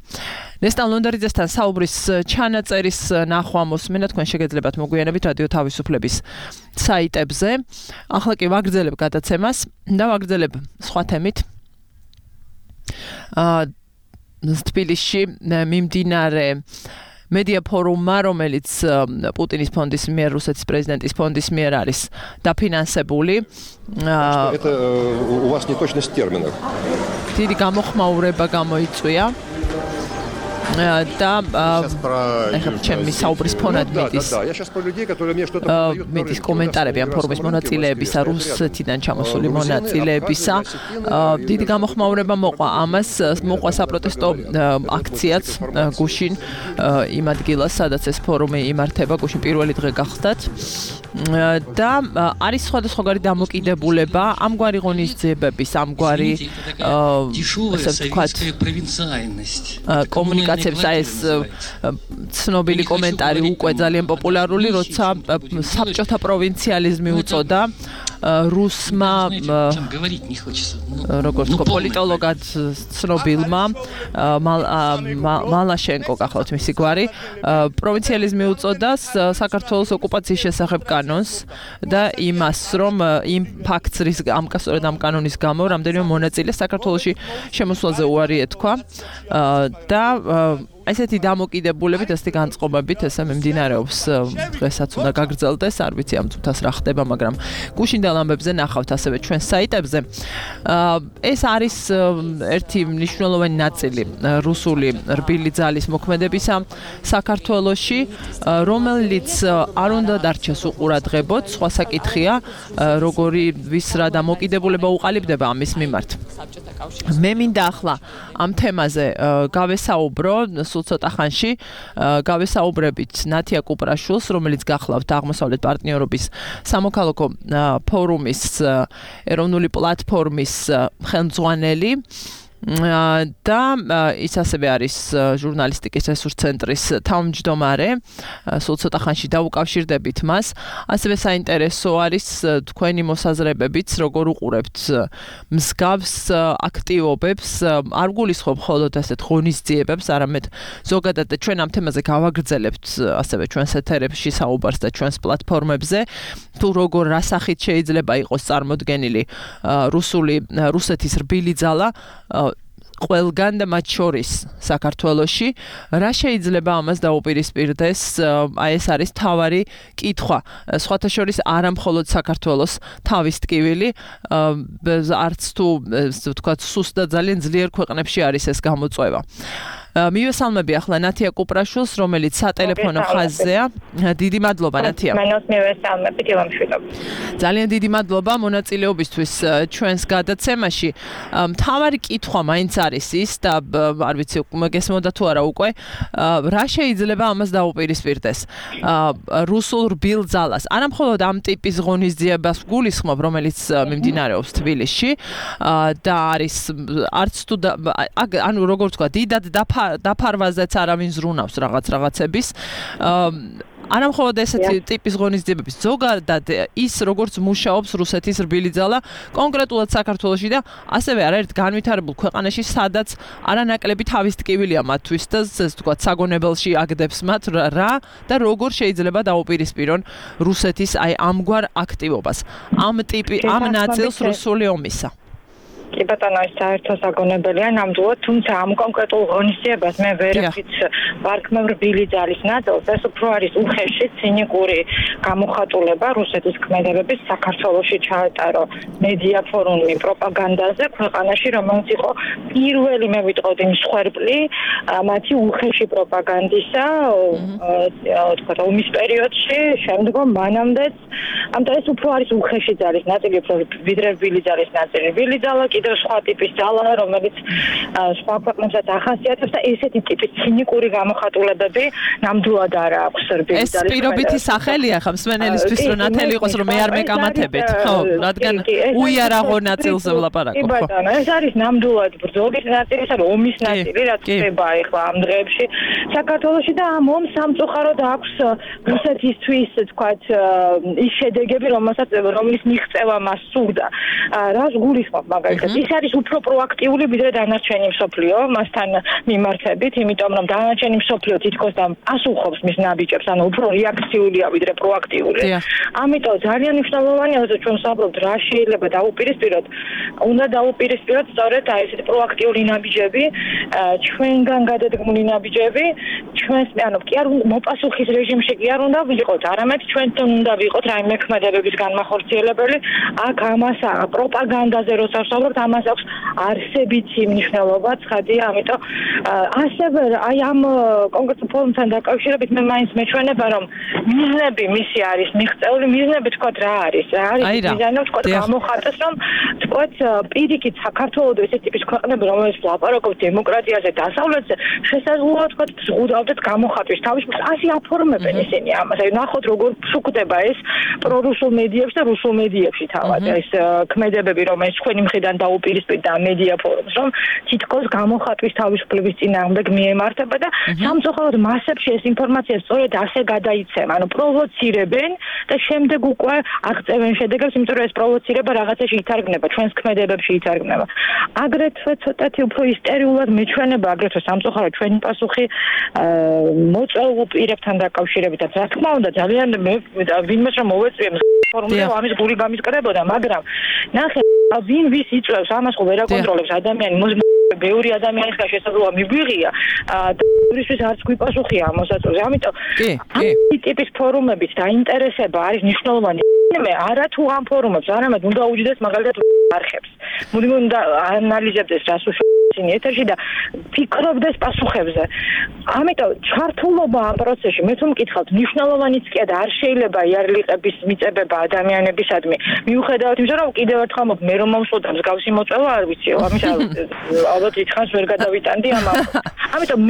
ნესტან ლონდარიძესთან საუბრის ჩანაწერის ნახვა მოსმენა თქვენ შეგეძლებათ მოგვიანებით რადიო თავისუფლების საიტებზე. ახლა კი ვაგრძელებ გადაცემას და ვაგრძელებ სხვა თემით. თბილისში მიმდინარე მედია ფორუმმა, რომელიც პუტინის ფონდის მიერ, რუსეთის პრეზიდენტის ფონდის მიერ არის დაფინანსებული. Это у вас неточность в терминах. დიდი გამოხმაურება გამოიწვია. Да, ჩემი საუბრის ფონად მიდის. Я сейчас про людей, которые мне что-то продают. მიდის კომენტარები ამ ფორუმის მონაწილეებისა, რუსეთიდან ჩამოსული მონაწილეებისა. დიდი გამოხმაურება მოყვა ამას, მოყვა საპროტესტო აქციაც გუშინ იმ ადგილას, სადაც ეს ფორუმი იმართება, გუშინ პირველი დღე გახდათ. და არის სხვადასხვაგვარი დამოკიდებულება, ამგვარი ღონისძიებების, ამგვარი ასე ვთქვათ, კომუნიკაციებს აი ეს ცნობილი კომენტარი უკვე ძალიან პოპულარული, როცა საბჭოთა პროვინციალიზმი უწოდა რუსმა როგორც თქო პოლიტოლოგად ცნობილმა მალაშენკო გახლავთ მისი გვარი პროვინციალიზმი უწოდა საქართველოს ოკუპაციის შესახებ კანონს და იმას რომ იმ ფაქტს რის სწორედ ამ კანონის გამო რამდენიმე მონაწილე საქართველოში შემოსვლაზე უარი ეთქვა და ესეთი დამოკიდებულებით, ესეთი განწყობებით ესე მიმდინარეობს დღესაც უნდა გაგრძელდეს, არ ვიცი ამ წუთას რა ხდება, მაგრამ გუშინდელ ამბებზე ნახავთ ასევე ჩვენ საიტებზე. ეს არის ერთი მნიშვნელოვანი ნაწილი რუსული რბილი ძალის მოქმედებისა საქართველოში, რომელიც არ უნდა დარჩეს უყურადღებოდ, სხვა საკითხია, როგორი ვის რა დამოკიდებულება უყალიბდება ამის მიმართ. მე მინდა ახლა ამ თემაზე გავესაუბრო სულ ცოტა ხანში გავესაუბრებით ნათია კუპრაშვილს, რომელიც გახლავთ აღმოსავლეთ პარტნიორობის სამოქალაქო ფორუმის ეროვნული პლატფორმის ხელმძღვანელი და ის ასევე არის ჟურნალისტიკის რესურს ცენტრის თავმჯდომარე. სულ ცოტა ხანში დავუკავშირდებით მას. ასევე საინტერესო არის თქვენი მოსაზრებებიც, როგორ უყურებთ მსგავს აქტივობებს, არ გულისხმობ მხოლოდ ასეთ ღონისძიებებს, არამედ ზოგადად ჩვენ ამ თემაზე გავაგრძელებთ ასევე ჩვენს ეთერებში საუბარს და ჩვენს პლატფორმებზე, თუ როგორ რა სახით შეიძლება იყოს წარმოდგენილი რუსეთის რბილი ძალა ყველგან და მათ შორის საქართველოში, რა შეიძლება ამას დაუპირისპირდეს, აი ეს არის თავარი კითხვა. სხვათა შორის არა მხოლოდ საქართველოს თავის ტკივილი, არც თუ ვთქვათ სუსტ და ძალიან ძლიერ ქვეყნებში არის ეს გამოწვევა. მივესალმები ახლა ნათია კუპრაშვილს, რომელიც სატელეფონო ხაზზეა. დიდი მადლობა ნათია. მენოს მივესალმები დილამშვიდობ. ძალიან დიდი მადლობა მონაწილეობისთვის ჩვენს გადაცემაში. მთავარი კითხვა მაინც არის ის და არ ვიცი მოგესმოდა თუ არა უკვე, რა შეიძლება ამას დაუპირისპირდეს რუსულ რბილ ძალას. არა მხოლოდ ამ ტიპის ღონისძიებას გულისხმობ, რომელიც მიმდინარეობს თბილისში და არის არც თუ ანუ როგორ თქვა, დიდად დაფარვაზეც არავინ ზრუნავს რაღაცების. არა მხოლოდ ესეთი ტიპის ღონისძიებების, ზოგადად ის როგორც მუშაობს რუსეთის რბილი ძალა კონკრეტულად საქართველოში და ასევე არაერთ განვითარებულ ქვეყანაში, სადაც არანაკლები თავის ტკივილია მათთვის და ასე ვთქვათ, საგონებელში აგდებს მათ რა და როგორ შეიძლება დაუპირისპირონ რუსეთის აი ამგვარ აქტივობას, ამ ნაწილს რუსული ომისა. კი ბატონო, ეს საერთო საგონებელია ნამდვილად, თუმცა ამ კონკრეტულ ღონისძიებას მე ვერაფრით ვარქმევ რბილი ძალის ნაწილს, ეს უფრო არის უხეში ცინიკური გამოხატულება რუსეთის ქმედებების საქართველოში ჩაეტარო მედია ფორუმი პროპაგანდაზე ქვეყანაში, რომელიც იყო პირველი მე ვიტყოდი მსხვერპლი მათი უხეში პროპაგანდისა, თქვა ომის პერიოდში, შემდგომ მანამდეც, ამიტომ ეს უფრო არის უხეში ძალის ნაწილი, უფრო ვიდრე რბილი ძალის ნაწილი. რბილი ძალა კიდევ სხვა ტიპის ძალა, რომელიც სხვა ქვეყნებსაც ახასიათებს და ესეთი ტიპის ცინიკური გამოხატულებები ნამდვილად არ აქვს რბილი ძალის. ეს პირობითი სახელია ხა მსმენელისთვის, რომ ნათელი იყოს, რომ მე არ მეკამათებთ, ხო, რადგან უიარაღო ნაწილზე ვლაპარაკობ. კი ბატონო, ეს არის ნამდვილად ბრძოლის ნაწილი, ანუ ომის ნაწილი, რაც ხდება ახლა ამ დღეებში საქართველოში და ამ ომს სამწუხაროდ აქვს რუსეთისთვის, თქვათ, ის შედეგები, რომლის მიღწევა მას სურდა. რას გულისხმობ მაგალითად ის არის უფრო პროაქტიული ვიდრე დანარჩენი მსოფლიო მასთან მიმართებით, იმიტომ რომ დანარჩენი მსოფლიო თითქოს და ასუხობს მის ნაბიჯებს, ანუ უფრო რეაქციულია ვიდრე პროაქტიული. ამიტომ ძალიან მნიშვნელოვანია, რომ ჩვენ ვსაუბრობთ რა შეიძლება დაუპირისპიროთ. უნდა დაუპირისპიროთ სწორედ აი ესეთი პროაქტიული ნაბიჯები, ჩვენგან გადადგმული ნაბიჯები, ჩვენს ანუ კი არ უნდა მოპასუხის რეჟიმში კი არ უნდა ვიყოთ, არამედ ჩვენთან უნდა ვიყოთ რაიმე ქმედებების განმახორციელებელი. აქ ამას პროპაგანდაზე როცა ვსაუბრობთ, ამას აქვს არსებითი მნიშვნელობა, ცხადია, ამიტომ ასევე აი ამ კონკრეტულ ფორუმთან დაკავშირებით მე მაინც მეჩვენება, რომ მიზნები მისი არის მიღწეული, მიზნები თქვა რა არის მიზანი, თქვა გამოხატეს, რომ თქვა პირიქით საქართველოს ესეთი ტიპის ქვეყნები, რომელიც ლაპარაკობს დემოკრატიაზე, დასავლეთზე, შესაძლოა თქვა ზღუდავდეთ გამოხატვის თავისუფლებას, ასე აფორმებენ ისინი ამას. აი ნახოთ როგორ შუქდება ეს პრორუსულ მედიებში და რუსულ მედიებში თავად ეს ქმედებები, რომელიც ჩვენი მხრიდან დაუპირისპირდა მედია ფორუმს, რომ თითქოს გამოხატვის თავისუფლების წინააღმდეგ მიემართება და სამწუხაროდ მასებში ეს ინფორმაცია სწორედ ასე გადაიცემა, ანუ პროვოცირებენ და შემდეგ უკვე აღწევენ შედეგებს, იმიტომ რომ ეს პროვოცირება რაღაცაში ითარგმნება, ჩვენს ქმედებებში ითარგმნება. აგრეთვე ცოტათი უფრო ისტერიულად მეჩვენება, აგრეთვე სამწუხაროდ ჩვენი პასუხი მოწვეულ პირებთან დაკავშირებითაც. რა თქმა უნდა, ძალიან ვინმეს რომ მოვეწვიე ფორუმზე ამის გული გამისკრებოდა, მაგრამ ნახე ვინ ვის იწვევს, ამას ხო ვერ აკონტროლებს ადამიანი, ბევრი ადამიანის შესაძლოა მიგვიღია და ისიც არც გვიპასუხია ამ მოსაწვევზე. ამიტომ ამ ტიპის ფორუმებით დაინტერესება არის მნიშვნელოვანი. მე არა თუ ამ ფორუმებს, არამედ უნდა უჯდეს მაგალითად არხებს. უნდა ანალიზებდეს რას უშუალოდ ეთერში და ფიქრობდეს პასუხებზე. ამიტომ ჩართულობა ამ პროცესში, მე თუ მკითხავთ, მნიშვნელოვანიც კი და არ შეიძლება იარლიყების მიწებება ადამიანებისადმი. მიუხედავად იმისა, რომ კიდევ ერთხელ მე რომ მომსვლოდა მსგავსი მოწვევა არ ვიციო, ამის ალბათ ითხრას ვერ გადავიტანდი ამას. ამიტომ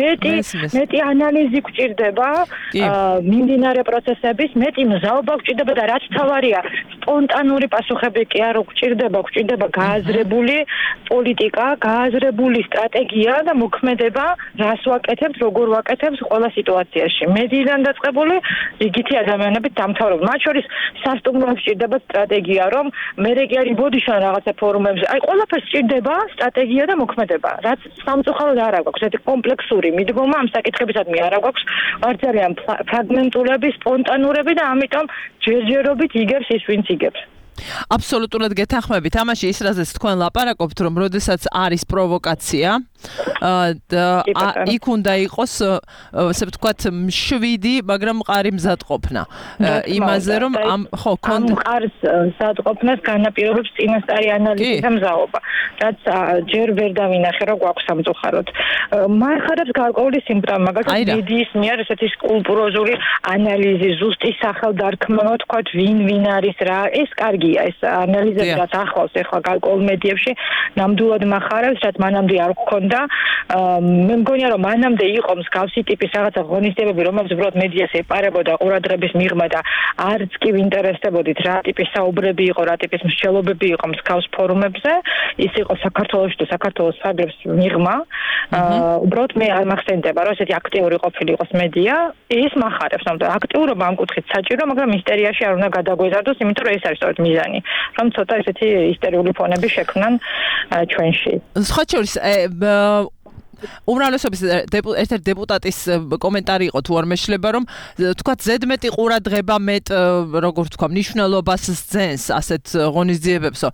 მეტი ანალიზი გვჭირდება მიმდინარე პროცესების, მეტი მზაობა გვჭირდება და რაც თავარია, სპონტანური პასუხები კი არ გვჭირდება გააზრებული პოლიტიკა, გააზრებული სტრატეგია და მოქმედება, რას ვაკეთებთ, როგორ ვაკეთებთ ყველა სიტუაციაში. მედიიდან დაწყებული იგითი ადამიანებით დამთავრებული. მათ შორის სასტუმროებს სჭირდება სტრატეგია, რომ მერე კი არ იბოდიშან რაღაცა ფორუმებზე. აი ყველაფერს სჭირდება სტრატეგია და მოქმედება, რაც სამწუხაროდ არ აქვს. ეს კომპლექსური მიდგომა ამ საკითხებისადმი არ აქვს. არ ძალიან ფრაგმენტულები, სპონტანურები და ამიტომ ჯერჯერობით იგებს ის, ვინც იგებს. აბსოლუტურად გეთანხმებით. ამაში ის რაზეც თქვენ ლაპარაკობთ, რომ როდესაც არის პროვოკაცია და იქ უნდა იყოს, ასე ვთქვათ, მშვიდი, მაგრამ მყარი მზადყოფნა. იმაზე რომ ხო, მყარს მზადყოფნას განაპირობებს წინასწარი ანალიზი და მზაობა, რაც ჯერ ვერ დავინახე, რომ გვაქვს სამწუხაროდ. მარხადებს გარკვეული სიმპტომი, მაგალითად მედიის მიერ ესეთი სკულპტუროზული ანალიზი, ზუსტი სახელდარქმევა, ვთქვათ, ვინ არის რა, ეს კარგია, ეს ანალიზები რაც ახლავს ახლა გარკვეულ მედიებში, ნამდვილად מחარებს, რაც მანამდე არ გქონდა. მე მგონია რომ მანამდე იყო მსგავსი ტიპის რაღაცა ღონისძიებები, რომელზეც უბრალოდ მედიას ეპარებოდა ყურადღების მიღმა და არც კი ვინტერესდებოდით რა ტიპის საუბრები იყო, რა ტიპის მსჯელობები იყო მსგავს ფორუმებზე, ის იყო საქართველოს და საქართველოს ფარგლებს მიღმა. უბრალოდ მე არ მახსენდება, რომ ესეთი აქტიური ყოფილიყოს მედია, ის מחარებს, რომ აქტიურობა ამ კუთხით საჭირო, მაგრამ ისტერიაში არ უნდა გადაგვეზარდოს, იმიტომ რომ ეს არის სწორედ მიზანი, რომ ცოტა ესეთი ისტერიული ფონები შექმნან ჩვენში. სხვა შორის უმრავლესობის ერთ-ერთი დეპუტატის კომენტარი იყო თუ არ მეშლება, რომ თქვა ზედმეტი ყურადღება როგორ თქვა მნიშვნელობას სცენს ასეთ ღონისძიებებსო.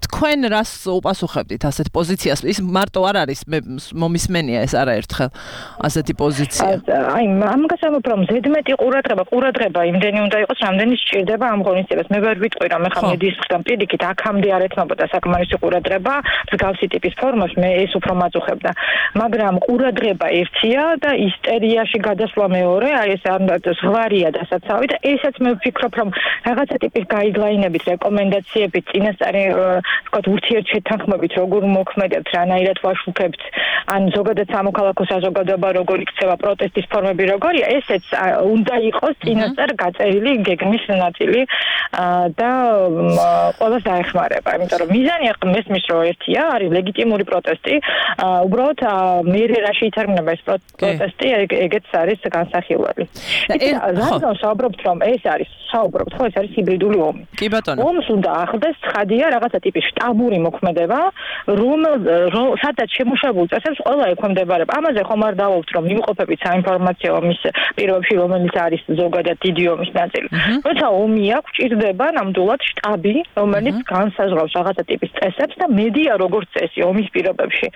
თქვენ რას უპასუხებდით ასეთ პოზიციას? ის მარტო არ არის, მე მომისმენია ეს არაერთხელ ასეთი პოზიცია. აი, ამ გასაგებ რომ ზედმეტი ყურადღება იმდენი უნდა იყოს, რამდენი სჭირდება ამ ღონისძიებას. მე ვერ ვიტყვი რომ ახლა მედიის მხრიდან პირიქით აქამდე არ ეთმობოდა საკმარისი ყურადღება მსგავსი ტიპის ფორმებში, მე ეს უფრო მაწუხებდა. მაგრამ ყურადღება ერთია და ისტერიაში გადასვლა მეორე, აი ეს ზღვარია დასაცავი და ესაც მე ვფიქრობ, რომ რაღაცა ტიპის გაიდლაინებით, რეკომენდაციებით, წინასწარი ვთქვათ, ურთიერთშეთანხმებით, როგორ მოქმედებთ, რანაირად ვაშუქებთ, ან ზოგადად სამოქალაქო საზოგადოება როგორ იქცევა, პროტესტის ფორმები როგორია, ესეც უნდა იყოს წინასწარ გაწერილი გეგმის ნაწილი და ყველას დაეხმარება, იმიტომ რომ მიზანი მესმის რო ერთია, არის ლეგიტიმური პროტესტი, უბრალოდ მერე რაში ითარგმნება ეს პროტესტი, ეგეც არის განსახილველი. რადგან საუბრობთ, რომ ეს არის საუბრობთ, ხო, ეს არის ჰიბრიდული ომი. კი ბატონო. ომს უნდა ახლდეს ცხადია რაღაცა ტიპის შტაბური მოქმედება, სადაც შემუშავებული წესებს ყველა ექვემდებარება. ამაზე ხომ არ დავაუბრუნდით, რომ იმყოფებით საინფორმაციო ომის პირობებში, რომელიც არის ზოგადად დიდი ომის ნაწილი. როცა ომი აქვს, ჭირდება ნამდვილად შტაბი, რომელიც განსაზღვრავს რაღაცა ტიპის წესებს და მედია როგორც წესი ომის პირობებში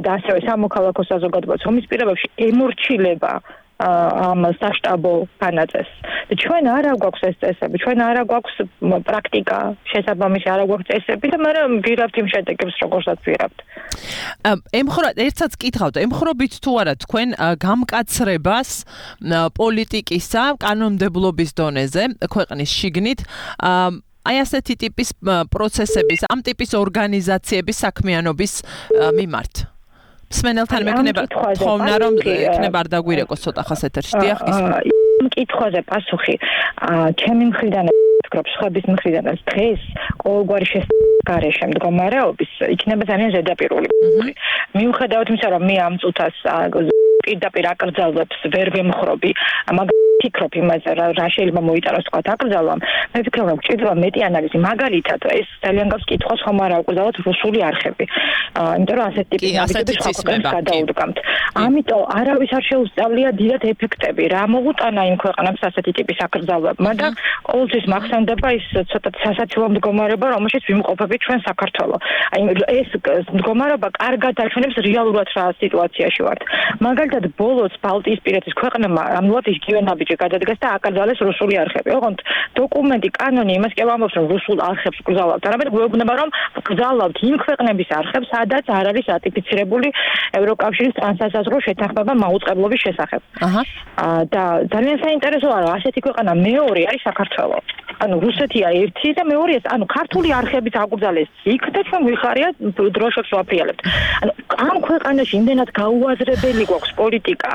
და ასევე სამოქალაქო საზოგადოებაც ომის პირობებში ემორჩილება ამ საშტაბო განაწესს. და ჩვენ არა გვაქვს ეს წესები, ჩვენ არა გვაქვს პრაქტიკა, შესაბამისი არა გვაქვს წესები და მე ვიღებთ იმ შედეგებს, როგორცაც ვიღებთ. ერთსაც კითხავთ, ემხრობით თუ არა თქვენ გამკაცრებას პოლიტიკისა, კანონმდებლობის დონეზე, ქვეყნის შიგნით, აი ასეთი ტიპის პროცესების, ამ ტიპის ორგანიზაციების საქმიანობის მიმართ. მსმენელთან მექნება თხოვნა რომ ექნება არ დაგვირეკოს ცოტა ხას ეთერში. დიახ, გისმენთ. მკითხვაზე პასუხი ჩემი მხრიდან ვფიქრობ, სხვების მხრიდანაც დღეს ყოველგვარი გარეშე მდგომარეობის იქნება ძალიან ზედაპირული. მიუხედავად იმისა, რომ მე ამ წუთას პირდაპირ აკრძალვებს ვერ ვემხრობი, მაგრამ ვფიქრობ იმაზე, რა შეიძლება მოიტანოს თქვა აკრძალვამ, მე ვფიქრობ, რომ ჭირდება მეტი ანალიზი. მაგალითად, ეს ძალიან გავს კითხვას, ხომ არ აუკრძალოთ რუსული არხები. იმიტომ რომ ასეთი ტიპის ნაბიჯებს გადაუდგამთ. ამიტომ არავის არ შეუსწავლია დიდად ეფექტები, რა მოუტანა იმ ქვეყნებს ასეთი ტიპის აკრძალვებმა და ყოველთვის მახსენდება ის ცოტა სასაცილო მდგომარეობა, რომელშიც ვიმყოფებით ჩვენ საქართველო. აი ეს მდგომარეობა კარგად აჩვენებს რეალურად რა სიტუაციაში ვართ. მაგალითად, ბოლოს ბალტიისპირეთის ქვეყნებმა ამლად იგივე ნაბიჯი გადადგეს და აკრძალეს რუსული არხები. ოღონდ დოკუმენტი, კანონი იმას კი ამბობს, რომ რუსულ არხებს გრძალავთ. არამედ გვეუბნება, რომ გრძალავთ იმ ქვეყნების არხებს, სადაც არ არის რატიფიცირებული ევროკავშირის ტრანსსაზღვრო შეთანხმება მაუწყებლობის შესახებ. და ძალიან საინტერესოა, რომ ასეთი ქვეყანა მეორე არის საქართველო. ანუ რუსეთია ერთი და მეორე ეს, ანუ ქართული არხებით აკრძალეს იქ და ჩვენ ვიხარიათ დროშებს ვაფრიალებთ. ანუ ამ ქვეყანაში იმდენად გაუაზრებელი გვაქვს პოლიტიკა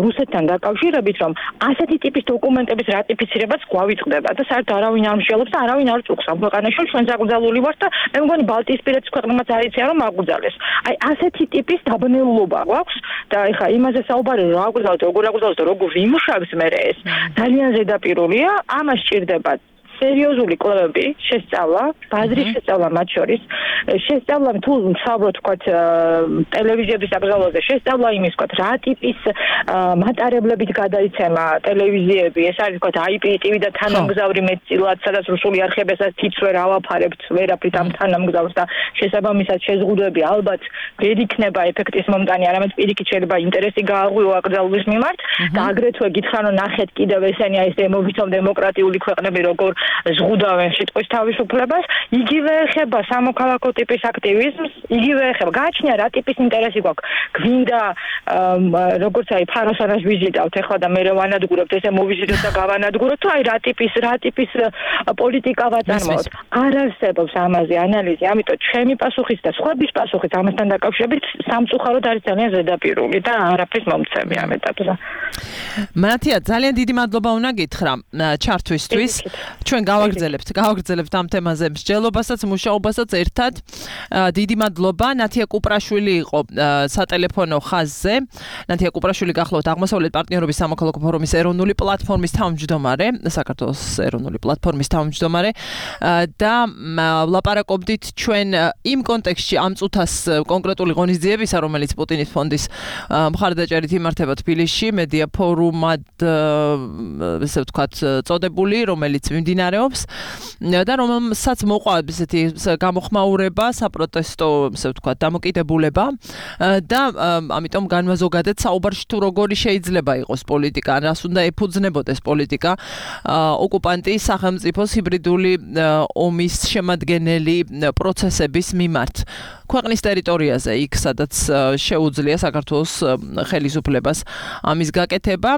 რუსეთთან დაკავშირებით, რომ ასეთი ტიპის დოკუმენტების რატიფიცირებაც გვავიწყდება და საერთოდ არავინ არ მსჯელობს და არავინ არ წუხს ამ ქვეყანაში, ჩვენ საკრძალული ვართ და მე მგონი ბალტიისპირეთის ქვეყნებმაც არ იციან, რომ აკრძალეს. აი ასეთი ტიპის დაბნელობა გვაქვს და ეხლა იმაზე საუბარი რა აკრძალოთ, როგორ აკრძალოთ და როგორ იმუშავებს მე ეს ძალიან ზედაპირულია, ამას სჭირდება სერიოზული კვლევები, შესწავლა, ბაზრის შესწავლა მათ შორის, შესწავლა თუ საუბრობთ თქვათ ტელევიზიების აკრძალვაზე, შესწავლა იმის თქვათ რა ტიპის მატარებლებით გადაიცემა ტელევიზიები, ეს არის თქვათ IPTV და თანამგზავრი მეტწილად, სადაც რუსული არხები ესაც თითს ვერ ავაფარებთ, ვერაფრით ამ თანამგზავრს და შესაბამისად შეზღუდვები ალბათ ვერ იქნება ეფექტის მომტანი, არამედ პირიქით შეიძლება ინტერესი გააღვიო აკრძალვის მიმართ და აგრეთვე გითხრან რომ ნახეთ კიდევ ესენი აი ეს დემობითომ დემოკრატიული ქვეყნები როგორ ზღუდავენ სიტყვის თავისუფლებას, იგივე ეხება სამოქალაქო ტიპის აქტივიზმს, იგივე ეხება გააჩნია რა ტიპის ინტერესი გვაქვს. გვინდა როგორც აი ფაროსანას ვიზიტავთ ეხლა და მე ვანადგურებთ ესე მოვიზიტოთ და გავანადგუროთ, თუ აი რა ტიპის პოლიტიკა ვაწარმოოთ. არ არსებობს ამაზე ანალიზი, ამიტომ ჩემი პასუხიც და სხვების პასუხიც ამასთან დაკავშირებით სამწუხაროდ არის ძალიან ზედაპირული და არაფრის მომცემი ამ ეტაპზე. მათია, ძალიან დიდი მადლობა უნდა გითხრა ჩართვისთვის. ჩვენ გავაგრძელებთ ამ თემაზე მსჯელობასაც, მუშაობასაც ერთად. დიდი მადლობა. ნათია კუპრაშვილი იყო სატელეფონო ხაზზე. ნათია კუპრაშვილი გახლავთ აღმოსავლეთ პარტნიორობის სამოქალაქო ფორუმის ეროვნული პლატფორმის თავმჯდომარე, საქართველოს ეროვნული პლატფორმის თავმჯდომარე და ვლაპარაკობდით ჩვენ იმ კონტექსტში ამ წუთას კონკრეტული ღონისძიებისა, რომელიც პუტინის ფონდის მხარდაჭერით იმართება თბილისში, მედია ფორუმად ესე ვთქვათ წოდებული, რომელიც მიმდინარეობს და რომელსაც მოყვა ესეთი გამოხმაურება, საპროტესტო, ესე ვთქვათ, დამოკიდებულება და ამიტომ განმაზოგადეთ საუბარში თუ როგორი შეიძლება იყოს პოლიტიკა, რას უნდა ეფუძნებოდეს პოლიტიკა ოკუპანტის სახელმწიფოს ჰიბრიდული ომის შემადგენელი პროცესების მიმართ. ქვეყნის ტერიტორიაზე, იქ სადაც შეუძლია საქართველოს ხელისუფლებას ამის გაკეთება.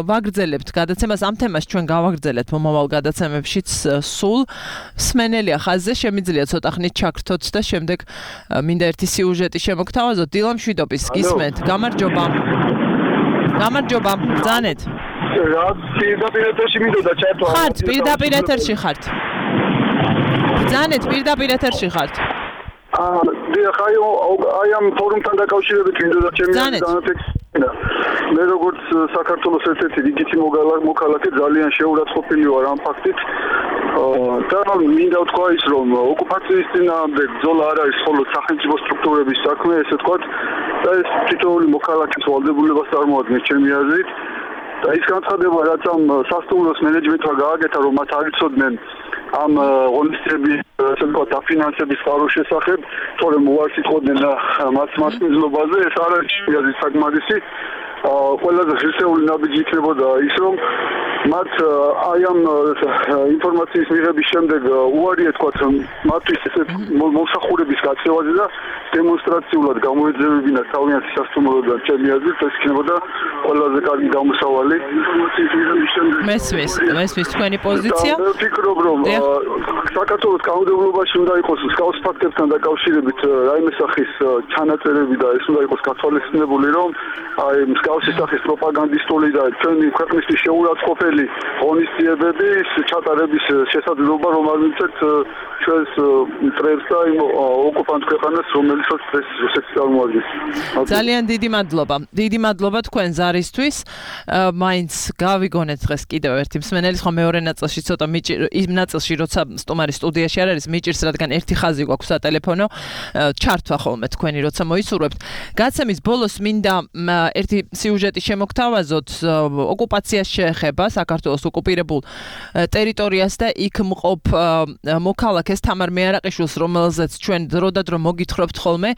ვაგრძელებთ გადაცემას ამ თემას, ჩვენ გავაგრძელებთ მომავალ გადაცემებშიც სულ. მსმენელია ხაზზე, შემიძლია ცოტა ხნით ჩაგრთოთ და შემდეგ მინდა ერთი სიუჟეტი შემოგთავაზოთ. დილა მშვიდობის, გისმენთ. გამარჯობა. გამარჯობა, ბრძანეთ. რა პირდაპირ ეთერში მინდოდა ჩართვა. ხართ, პირდაპირ ეთერში ხართ. ბრძანეთ, პირდაპირ ეთერში ხართ. დიახ, აი ამ ფორუმთან დაკავშირებით მინდოდა ჩემი განაცხადი. მე როგორც საქართველოს ერთ-ერთი რიგითი მოქალაქე ძალიან შეურაცხყოფილი ვარ ამ ფაქტით. და მინდა ვთქვა ის, რომ ოკუპაციის წინააღმდეგ ბრძოლა არ არის მხოლოდ სახელმწიფო სტრუქტურების საქმე, ესე ვთქვათ, და ეს თითოეული მოქალაქის ვალდებულებას წარმოადგენს ჩემი აზრით. და ის განცხადება, რაც ამ სასტუმროს მენეჯმენტმა გააკეთა, რომ მათ არ იცოდნენ ამ ღონისძიების ასე ვთქვათ დაფინანსების წყაროს შესახებ, თორემ უარს იტყოდნენ მათ მასპინძლობაზე, ეს არ არის ჩემი აზრით საკმარისი. ყველაზე ღირსეული ნაბიჯი იქნებოდა ის, რომ მათ აი ამ ინფორმაციის მიღების შემდეგ უარი ეთქვათ მათთვის მოსახურების გაწევაზე და დემონსტრაციულად გამოეძებებინათ თავიანთი სასტუმროდან. ჩემი აზრით ეს იქნებოდა ყველაზე კარგი გამოსავალი ინფორმაციის მიღების შემდეგ. მესმის თქვენი პოზიცია? მე ვფიქრობ, რომ საქართველოს კანონმდებლობაში უნდა იყოს მსგავს ფაქტებთან დაკავშირებით რაიმე სახის ჩანაწერები და ეს უნდა იყოს გათვალისწინებული, რომ აი მსგავსი სახის პროპაგანდისტული და ჩვენი ქვეყნისთვის შეურაცხყოფელი ღონისძიებების ჩატარების შესაძლებლობა, რომ არ მიცეთ ჩვენს მტრებს და იმ ოკუპანტ ქვეყანას, რომელსაც ეს რუსეთი წარმოადგენს. ძალიან დიდი მადლობა. დიდი მადლობა თქვენ ზარისთვის. მაინც გავიგონეთ დღეს კიდევ ერთი მსმენელი, ხო მეორე ნაწილში ცოტა იმ ნაწილში, როცა სტუმარი სტუდიაში არ არის, მიჭირს, რადგან ერთი ხაზი გვაქვს სატელეფონო, ჩართვა ხოლმე თქვენი, როცა მოისურვებთ. გაცემის ბოლოს მინდა ერთი სიუჟეტი შემოგთავაზოთ. ოკუპაციას შეეხება საქართველოს ოკუპირებულ ტერიტორიას და იქ მყოფ მოქალაქეს თამარ მეარაყიშვილს, რომელზეც ჩვენ დროდადრო მოგითხრობთ ხოლმე,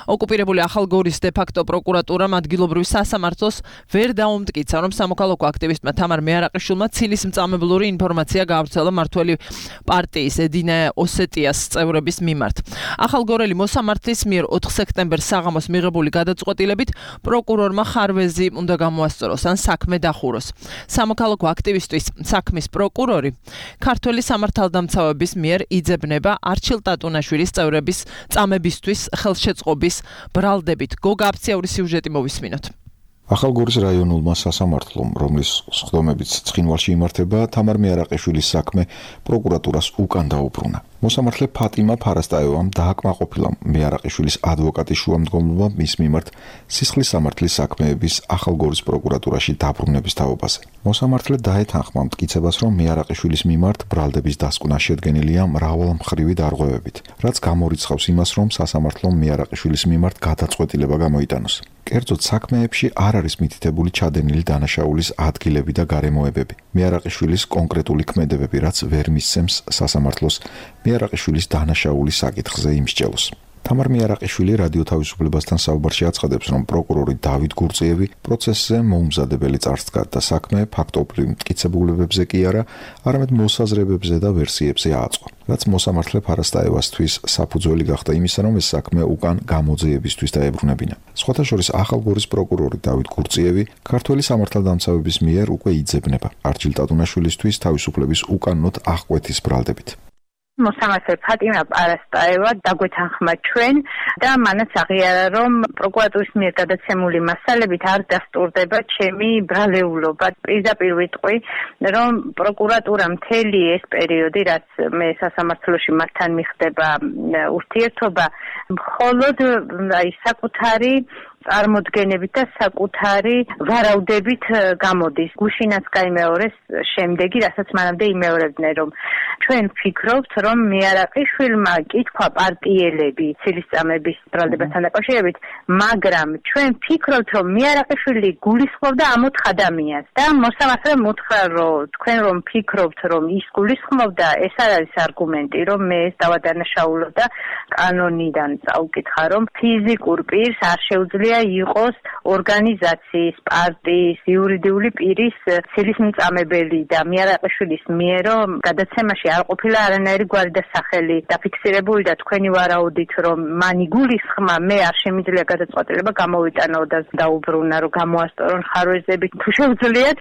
ოკუპირებული ახალგორის დე-ფაქტო პროკურატურამ ადგილობრივი სასამართლოს ვერ დაუმტკიცა, რომ სამოქალაქო აქტივისტმა თამარ მეარაყიშვილმა ცილისმწამებლური ინფორმაცია გაავრცელა მმართველი პარტიის ედინა ოსეტიას წევრების მიმართ. ახალგორელი მოსამართლის მიერ 4 სექტემბერს საღამოს მიღებული გადაწყვეტილებით პროკურორმა ხარვეზი უნდა გამოასწოროს ან საქმე დახუროს. სამოქალაქო აქტივისტის საქმის პროკურორი ქართველი სამართალდამცავების მიერ იძებნება არჩილ ტატუნაშვილის წევრების წამებისთვის ხელშეწყობის ბრალდებით. გოგა აფციური სიუჟეტი მოვისმინოთ. ახალგორის რაიონულმა სასამართლომ, რომლის სხდომებიც ცხინვალში იმართება, თამარ მეარაყიშვილის საქმე პროკურატურას უკან დაუბრუნა. მოსამართლე ფატიმა ფარასტაევამ დააკმაყოფილა მეარაყიშვილის ადვოკატის შუამდგომლობა მის მიმართ სისხლის სამართლის საქმეების ახალგორის პროკურატურაში დაბრუნების თაობაზე. მოსამართლე დაეთანხმა მტკიცებას, რომ მეარაყიშვილის მიმართ ბრალდების დასკვნა შედგენილია მრავალმხრივი დარღვევებით, რაც გამორიცხავს იმას, რომ სასამართლომ მეარაყიშვილის მიმართ გადაწყვეტილება გამოიტანოს. კერძოდ საქმეებში არ არის მითითებული ჩადენილი დანაშაულის ადგილები და გარემოებები. მეარაყიშვილის კონკრეტული ქმედებები, რაც ვერ მისცემს სასამართლოს მეარაყიშვილის დანაშაულის საკითხზე იმსჯელოს. თამარ მეარაყიშვილი რადიო თავისუფლებასთან საუბარში აცხადებს, რომ პროკურორი დავით გურწიევი პროცესზე მოუმზადებელი წარსდგა და საქმე ფაქტობრივ მტკიცებულებებზე კი არა, არამედ მოსაზრებებზე და ვერსიებზე ააწყო. რაც მოსამართლე ფარასტაევასთვის საფუძველი გახდა იმისა, რომ ეს საქმე უკან გამოძიებისთვის დაებრუნებინა. სხვათა შორის ახალგორის პროკურორი დავით გურწიევი ქართველი სამართალდამცავების მიერ უკვე იძებნება არჩილ ტატუნაშვილისთვის თავისუფლების უკანონოდ აღკვეთის ბრალდებით. მოსამართლე ფატიმა პარასტაევა დაგვეთანხმა ჩვენ და მანაც აღიარა, რომ პროკურატურის მიერ გადაცემული მასალებით არ დასტურდება ჩემი ბრალეულობა. პირდაპირ ვიტყვი, რომ პროკურატურა მთელი ეს პერიოდი, რაც მე სასამართლოში მათთან მიხდება ურთიერთობა, მხოლოდ აი საკუთარი წარმოდგენებით და საკუთარი ვარაუდებით გამოდის. გუშინაც გაიმეორეს შემდეგი, რასაც მანამდე იმეორებდნენ, რომ ჩვენ ვფიქრობთ, რომ მეარაყიშვილმა კითხვა პარტიელები ცილისწამების ბრალდებასთან დაკავშირებით, მაგრამ ჩვენ ვფიქრობთ, რომ მეარაყიშვილი გულისხმობდა ამ 4 ადამიანს და მოსამართლემ უთხრა, რომ თქვენ რომ ვფიქრობთ, რომ ის გულისხმობდა, ეს არ არის არგუმენტი, რომ მე ეს დავადანაშაულო და კანონიდან წავკითხა, რომ ფიზიკურ პირს არ შეუძლია იყოს ორგანიზაციის, პარტიის, იურიდიული პირის ცილისმწამებელი და მეარაყიშვილის მიერ გადაცემაში არ ყოფილა არანაირი გვარი და სახელი დაფიქსირებული და თქვენი ვარაუდით, რომ მან იგულისხმა, მე არ შემიძლია გადაწყვეტილება გამოვიტანო და დაუბრუნა, რომ გამოასწორონ ხარვეზები, თუ შეუძლიათ,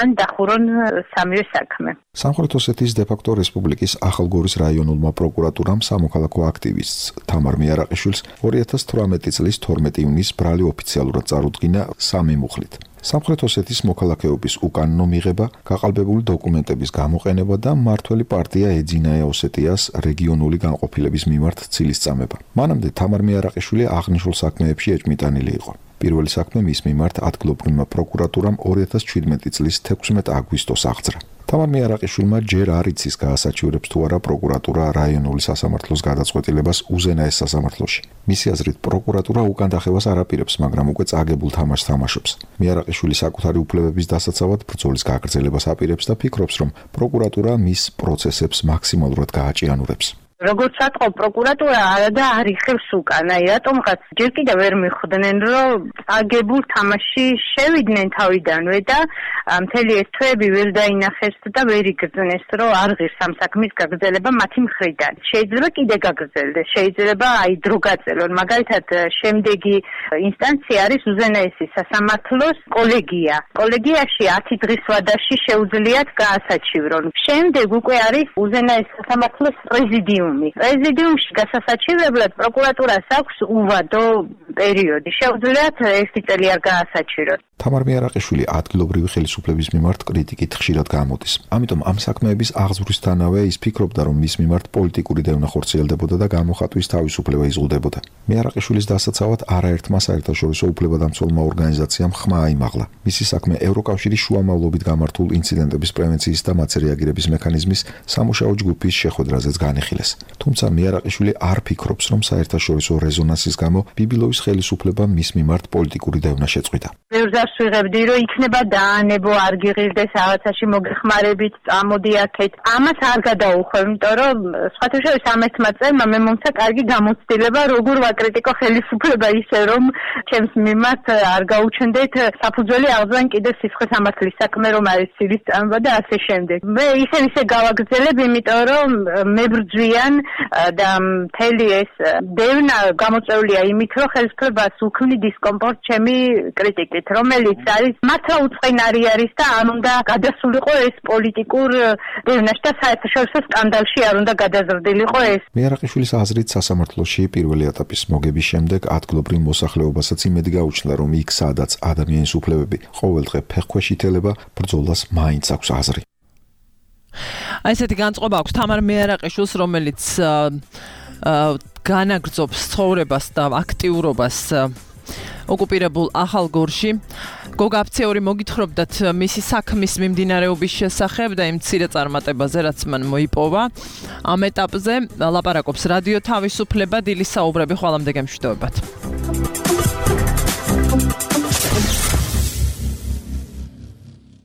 ან დახურონ სამივე საქმე. სამხრეთ ოსეთის დე-ფაქტო რესპუბლიკის ახალგორის რაიონულმა პროკურატურამ სამოქალაქო აქტივისტს თამარ მეარაყიშვილს 2018 წლის 12 ივნის ბრალი ოფიციალურად წარუდგინა 3 მუხლით. სამხრეთ ოსეთის მოქალაქეობის უკანონო მიღება, გაყალბებული დოკუმენტების გამოყენება და მმართველი პარტია ეძინა ოსეტიას რეგიონული განყოფილების მიმართ ცილისწამება. მანამდე თამარ მეარაყიშვილი აღნიშნულ საქმეებში ეჭმიტანილი იყო. პირველი საქმე მის მიმართ ადგილობრივმა პროკურატურამ 2017 წლის 16 აგვისტოს აღძრა. თამარ მეარაყიშვილმა ჯერ არ იცის გაასაჩივრებს თუ არა პროკურატურა რაიონული სასამართლოს გადაწყვეტილებას უზენაეს სასამართლოში. მისი აზრით პროკურატურა უკან დახევას არ აპირებს, მაგრამ უკვე წაგებულ თამაშს თამაშობს. მეარაყიშვილი საკუთარი უფლებების დასაცავად ბრძოლის გაგრძელებას აპირებს და ფიქრობს, რომ პროკურატურა მის პროცესებს მაქსიმალურად გააჭიანურებს. როგორც ატყობ პროკურატურა არადა არ იხევს უკან, აი რატომღაც ჯერ კიდევ ვერ მიხვდნენ, რომ აგებულ თამაში შევიდნენ თავიდანვე და მთელი ეს თვეები ვერ დაინახეს და ვერ იგრძნეს, რომ არ ღირს ამ საქმის გაგრძელება მათი მხრიდან. შეიძლება კიდე გაგრძელდეს, შეიძლება აი დრო გაწელონ, მაგალითად შემდეგი ინსტანცია არის უზენაესი სასამართლოს კოლეგია. კოლეგიაში 10 დღის ვადაში შეუძლიათ გაასაჩივრონ. შემდეგ უკვე არის უზენაეს სასამართლოს პრეზიდიუმი. პრეზიდიუმში გასასაჩივრებლად პროკურატურას აქვს უვადო პერიოდი. შეუძლიათ 1 წელი არ გაასაჩივროთ. თამარ მეარაყიშვილი ადგილობრივი ხელისუფლების მიმართ კრიტიკით ხშირად გამოდის. ამიტომ ამ საქმეების აღძვრისთანავე ის ფიქრობდა, რომ მის მიმართ პოლიტიკური დევნა ხორციელდებოდა და გამოხატვის თავისუფლება იზღუდებოდა. მეარაყიშვილის დასაცავად არაერთმა საერთაშორისო უფლებადამცველმა ორგანიზაციამ ხმა აიმაღლა. მისი საქმე ევროკავშირის შუამავლობით გამართულ ინციდენტების პრევენციის და მათზე რეაგირების მექანიზმის სამუშაო ჯგუფის შეხვედრაზეც განიხილეს. თუმცა მეარაყიშვილი არ ფიქრობს, რომ საერთაშორისო რეზონანსის გამო ბიბილოვის ხელისუფლებამ მის მიმართ პოლიტიკური დევნა შეწყვიტა. ბევრს ვიღებდი, რომ იქნება დაანებო, არ გიღირდეს რაღაცაში მოგეხმარებით, წამოდი აქეთ. ამას არ გადაუხვევ, იმიტომ რომ სხვათა შორის ამ ერთმა წერმა მე მომცა კარგი გამოცდილება, როგორ ვაკრიტიკო ხელისუფლება ისე, რომ ჩემს მიმართ არ გაუჩნდეთ საფუძველი აღძან კიდე სისხლის სამართლის საქმე, რომ არის ცილის წამება და ასე შემდეგ. მე ისე გავაგრძელებ, იმიტომ რომ მებრძვიან და მთელი ეს დევნა გამოწვეულია იმით, რომ ხელისუფლებას უქმნი დისკომფორტ ჩემი კრიტიკით, რომელიც არის მართლა უწყინარი არის და არ უნდა გადასულიყო ეს პოლიტიკურ დევნაში და საერთაშორისო სკანდალში არ უნდა გადაზრდილიყო ეს. მეარაყიშვილის აზრით სასამართლოში პირველი ეტაპის მოგების შემდეგ ადგილობრივ მოსახლეობასაც იმედი გაუჩნდა, რომ იქ სადაც ადამიანის უფლებები ყოველდღე ფეხქვეშ ითელება, ბრძოლას მაინც აქვს აზრი. აი ესეთი განწყობა აქვს თამარ მეარაყიშვილს, რომელიც განაგრძობს ცხოვრებას და აქტიურობას ოკუპირებულ ახალგორში. გოგა აფციური მოგითხრობდათ მისი საქმის მიმდინარეობის შესახებ და იმ მცირე წარმატებაზე, რაც მან მოიპოვა. ამ ეტაპზე ლაპარაკობს რადიო თავისუფლება, დილის საუბრები, ხვალამდე გემშვიდობებათ.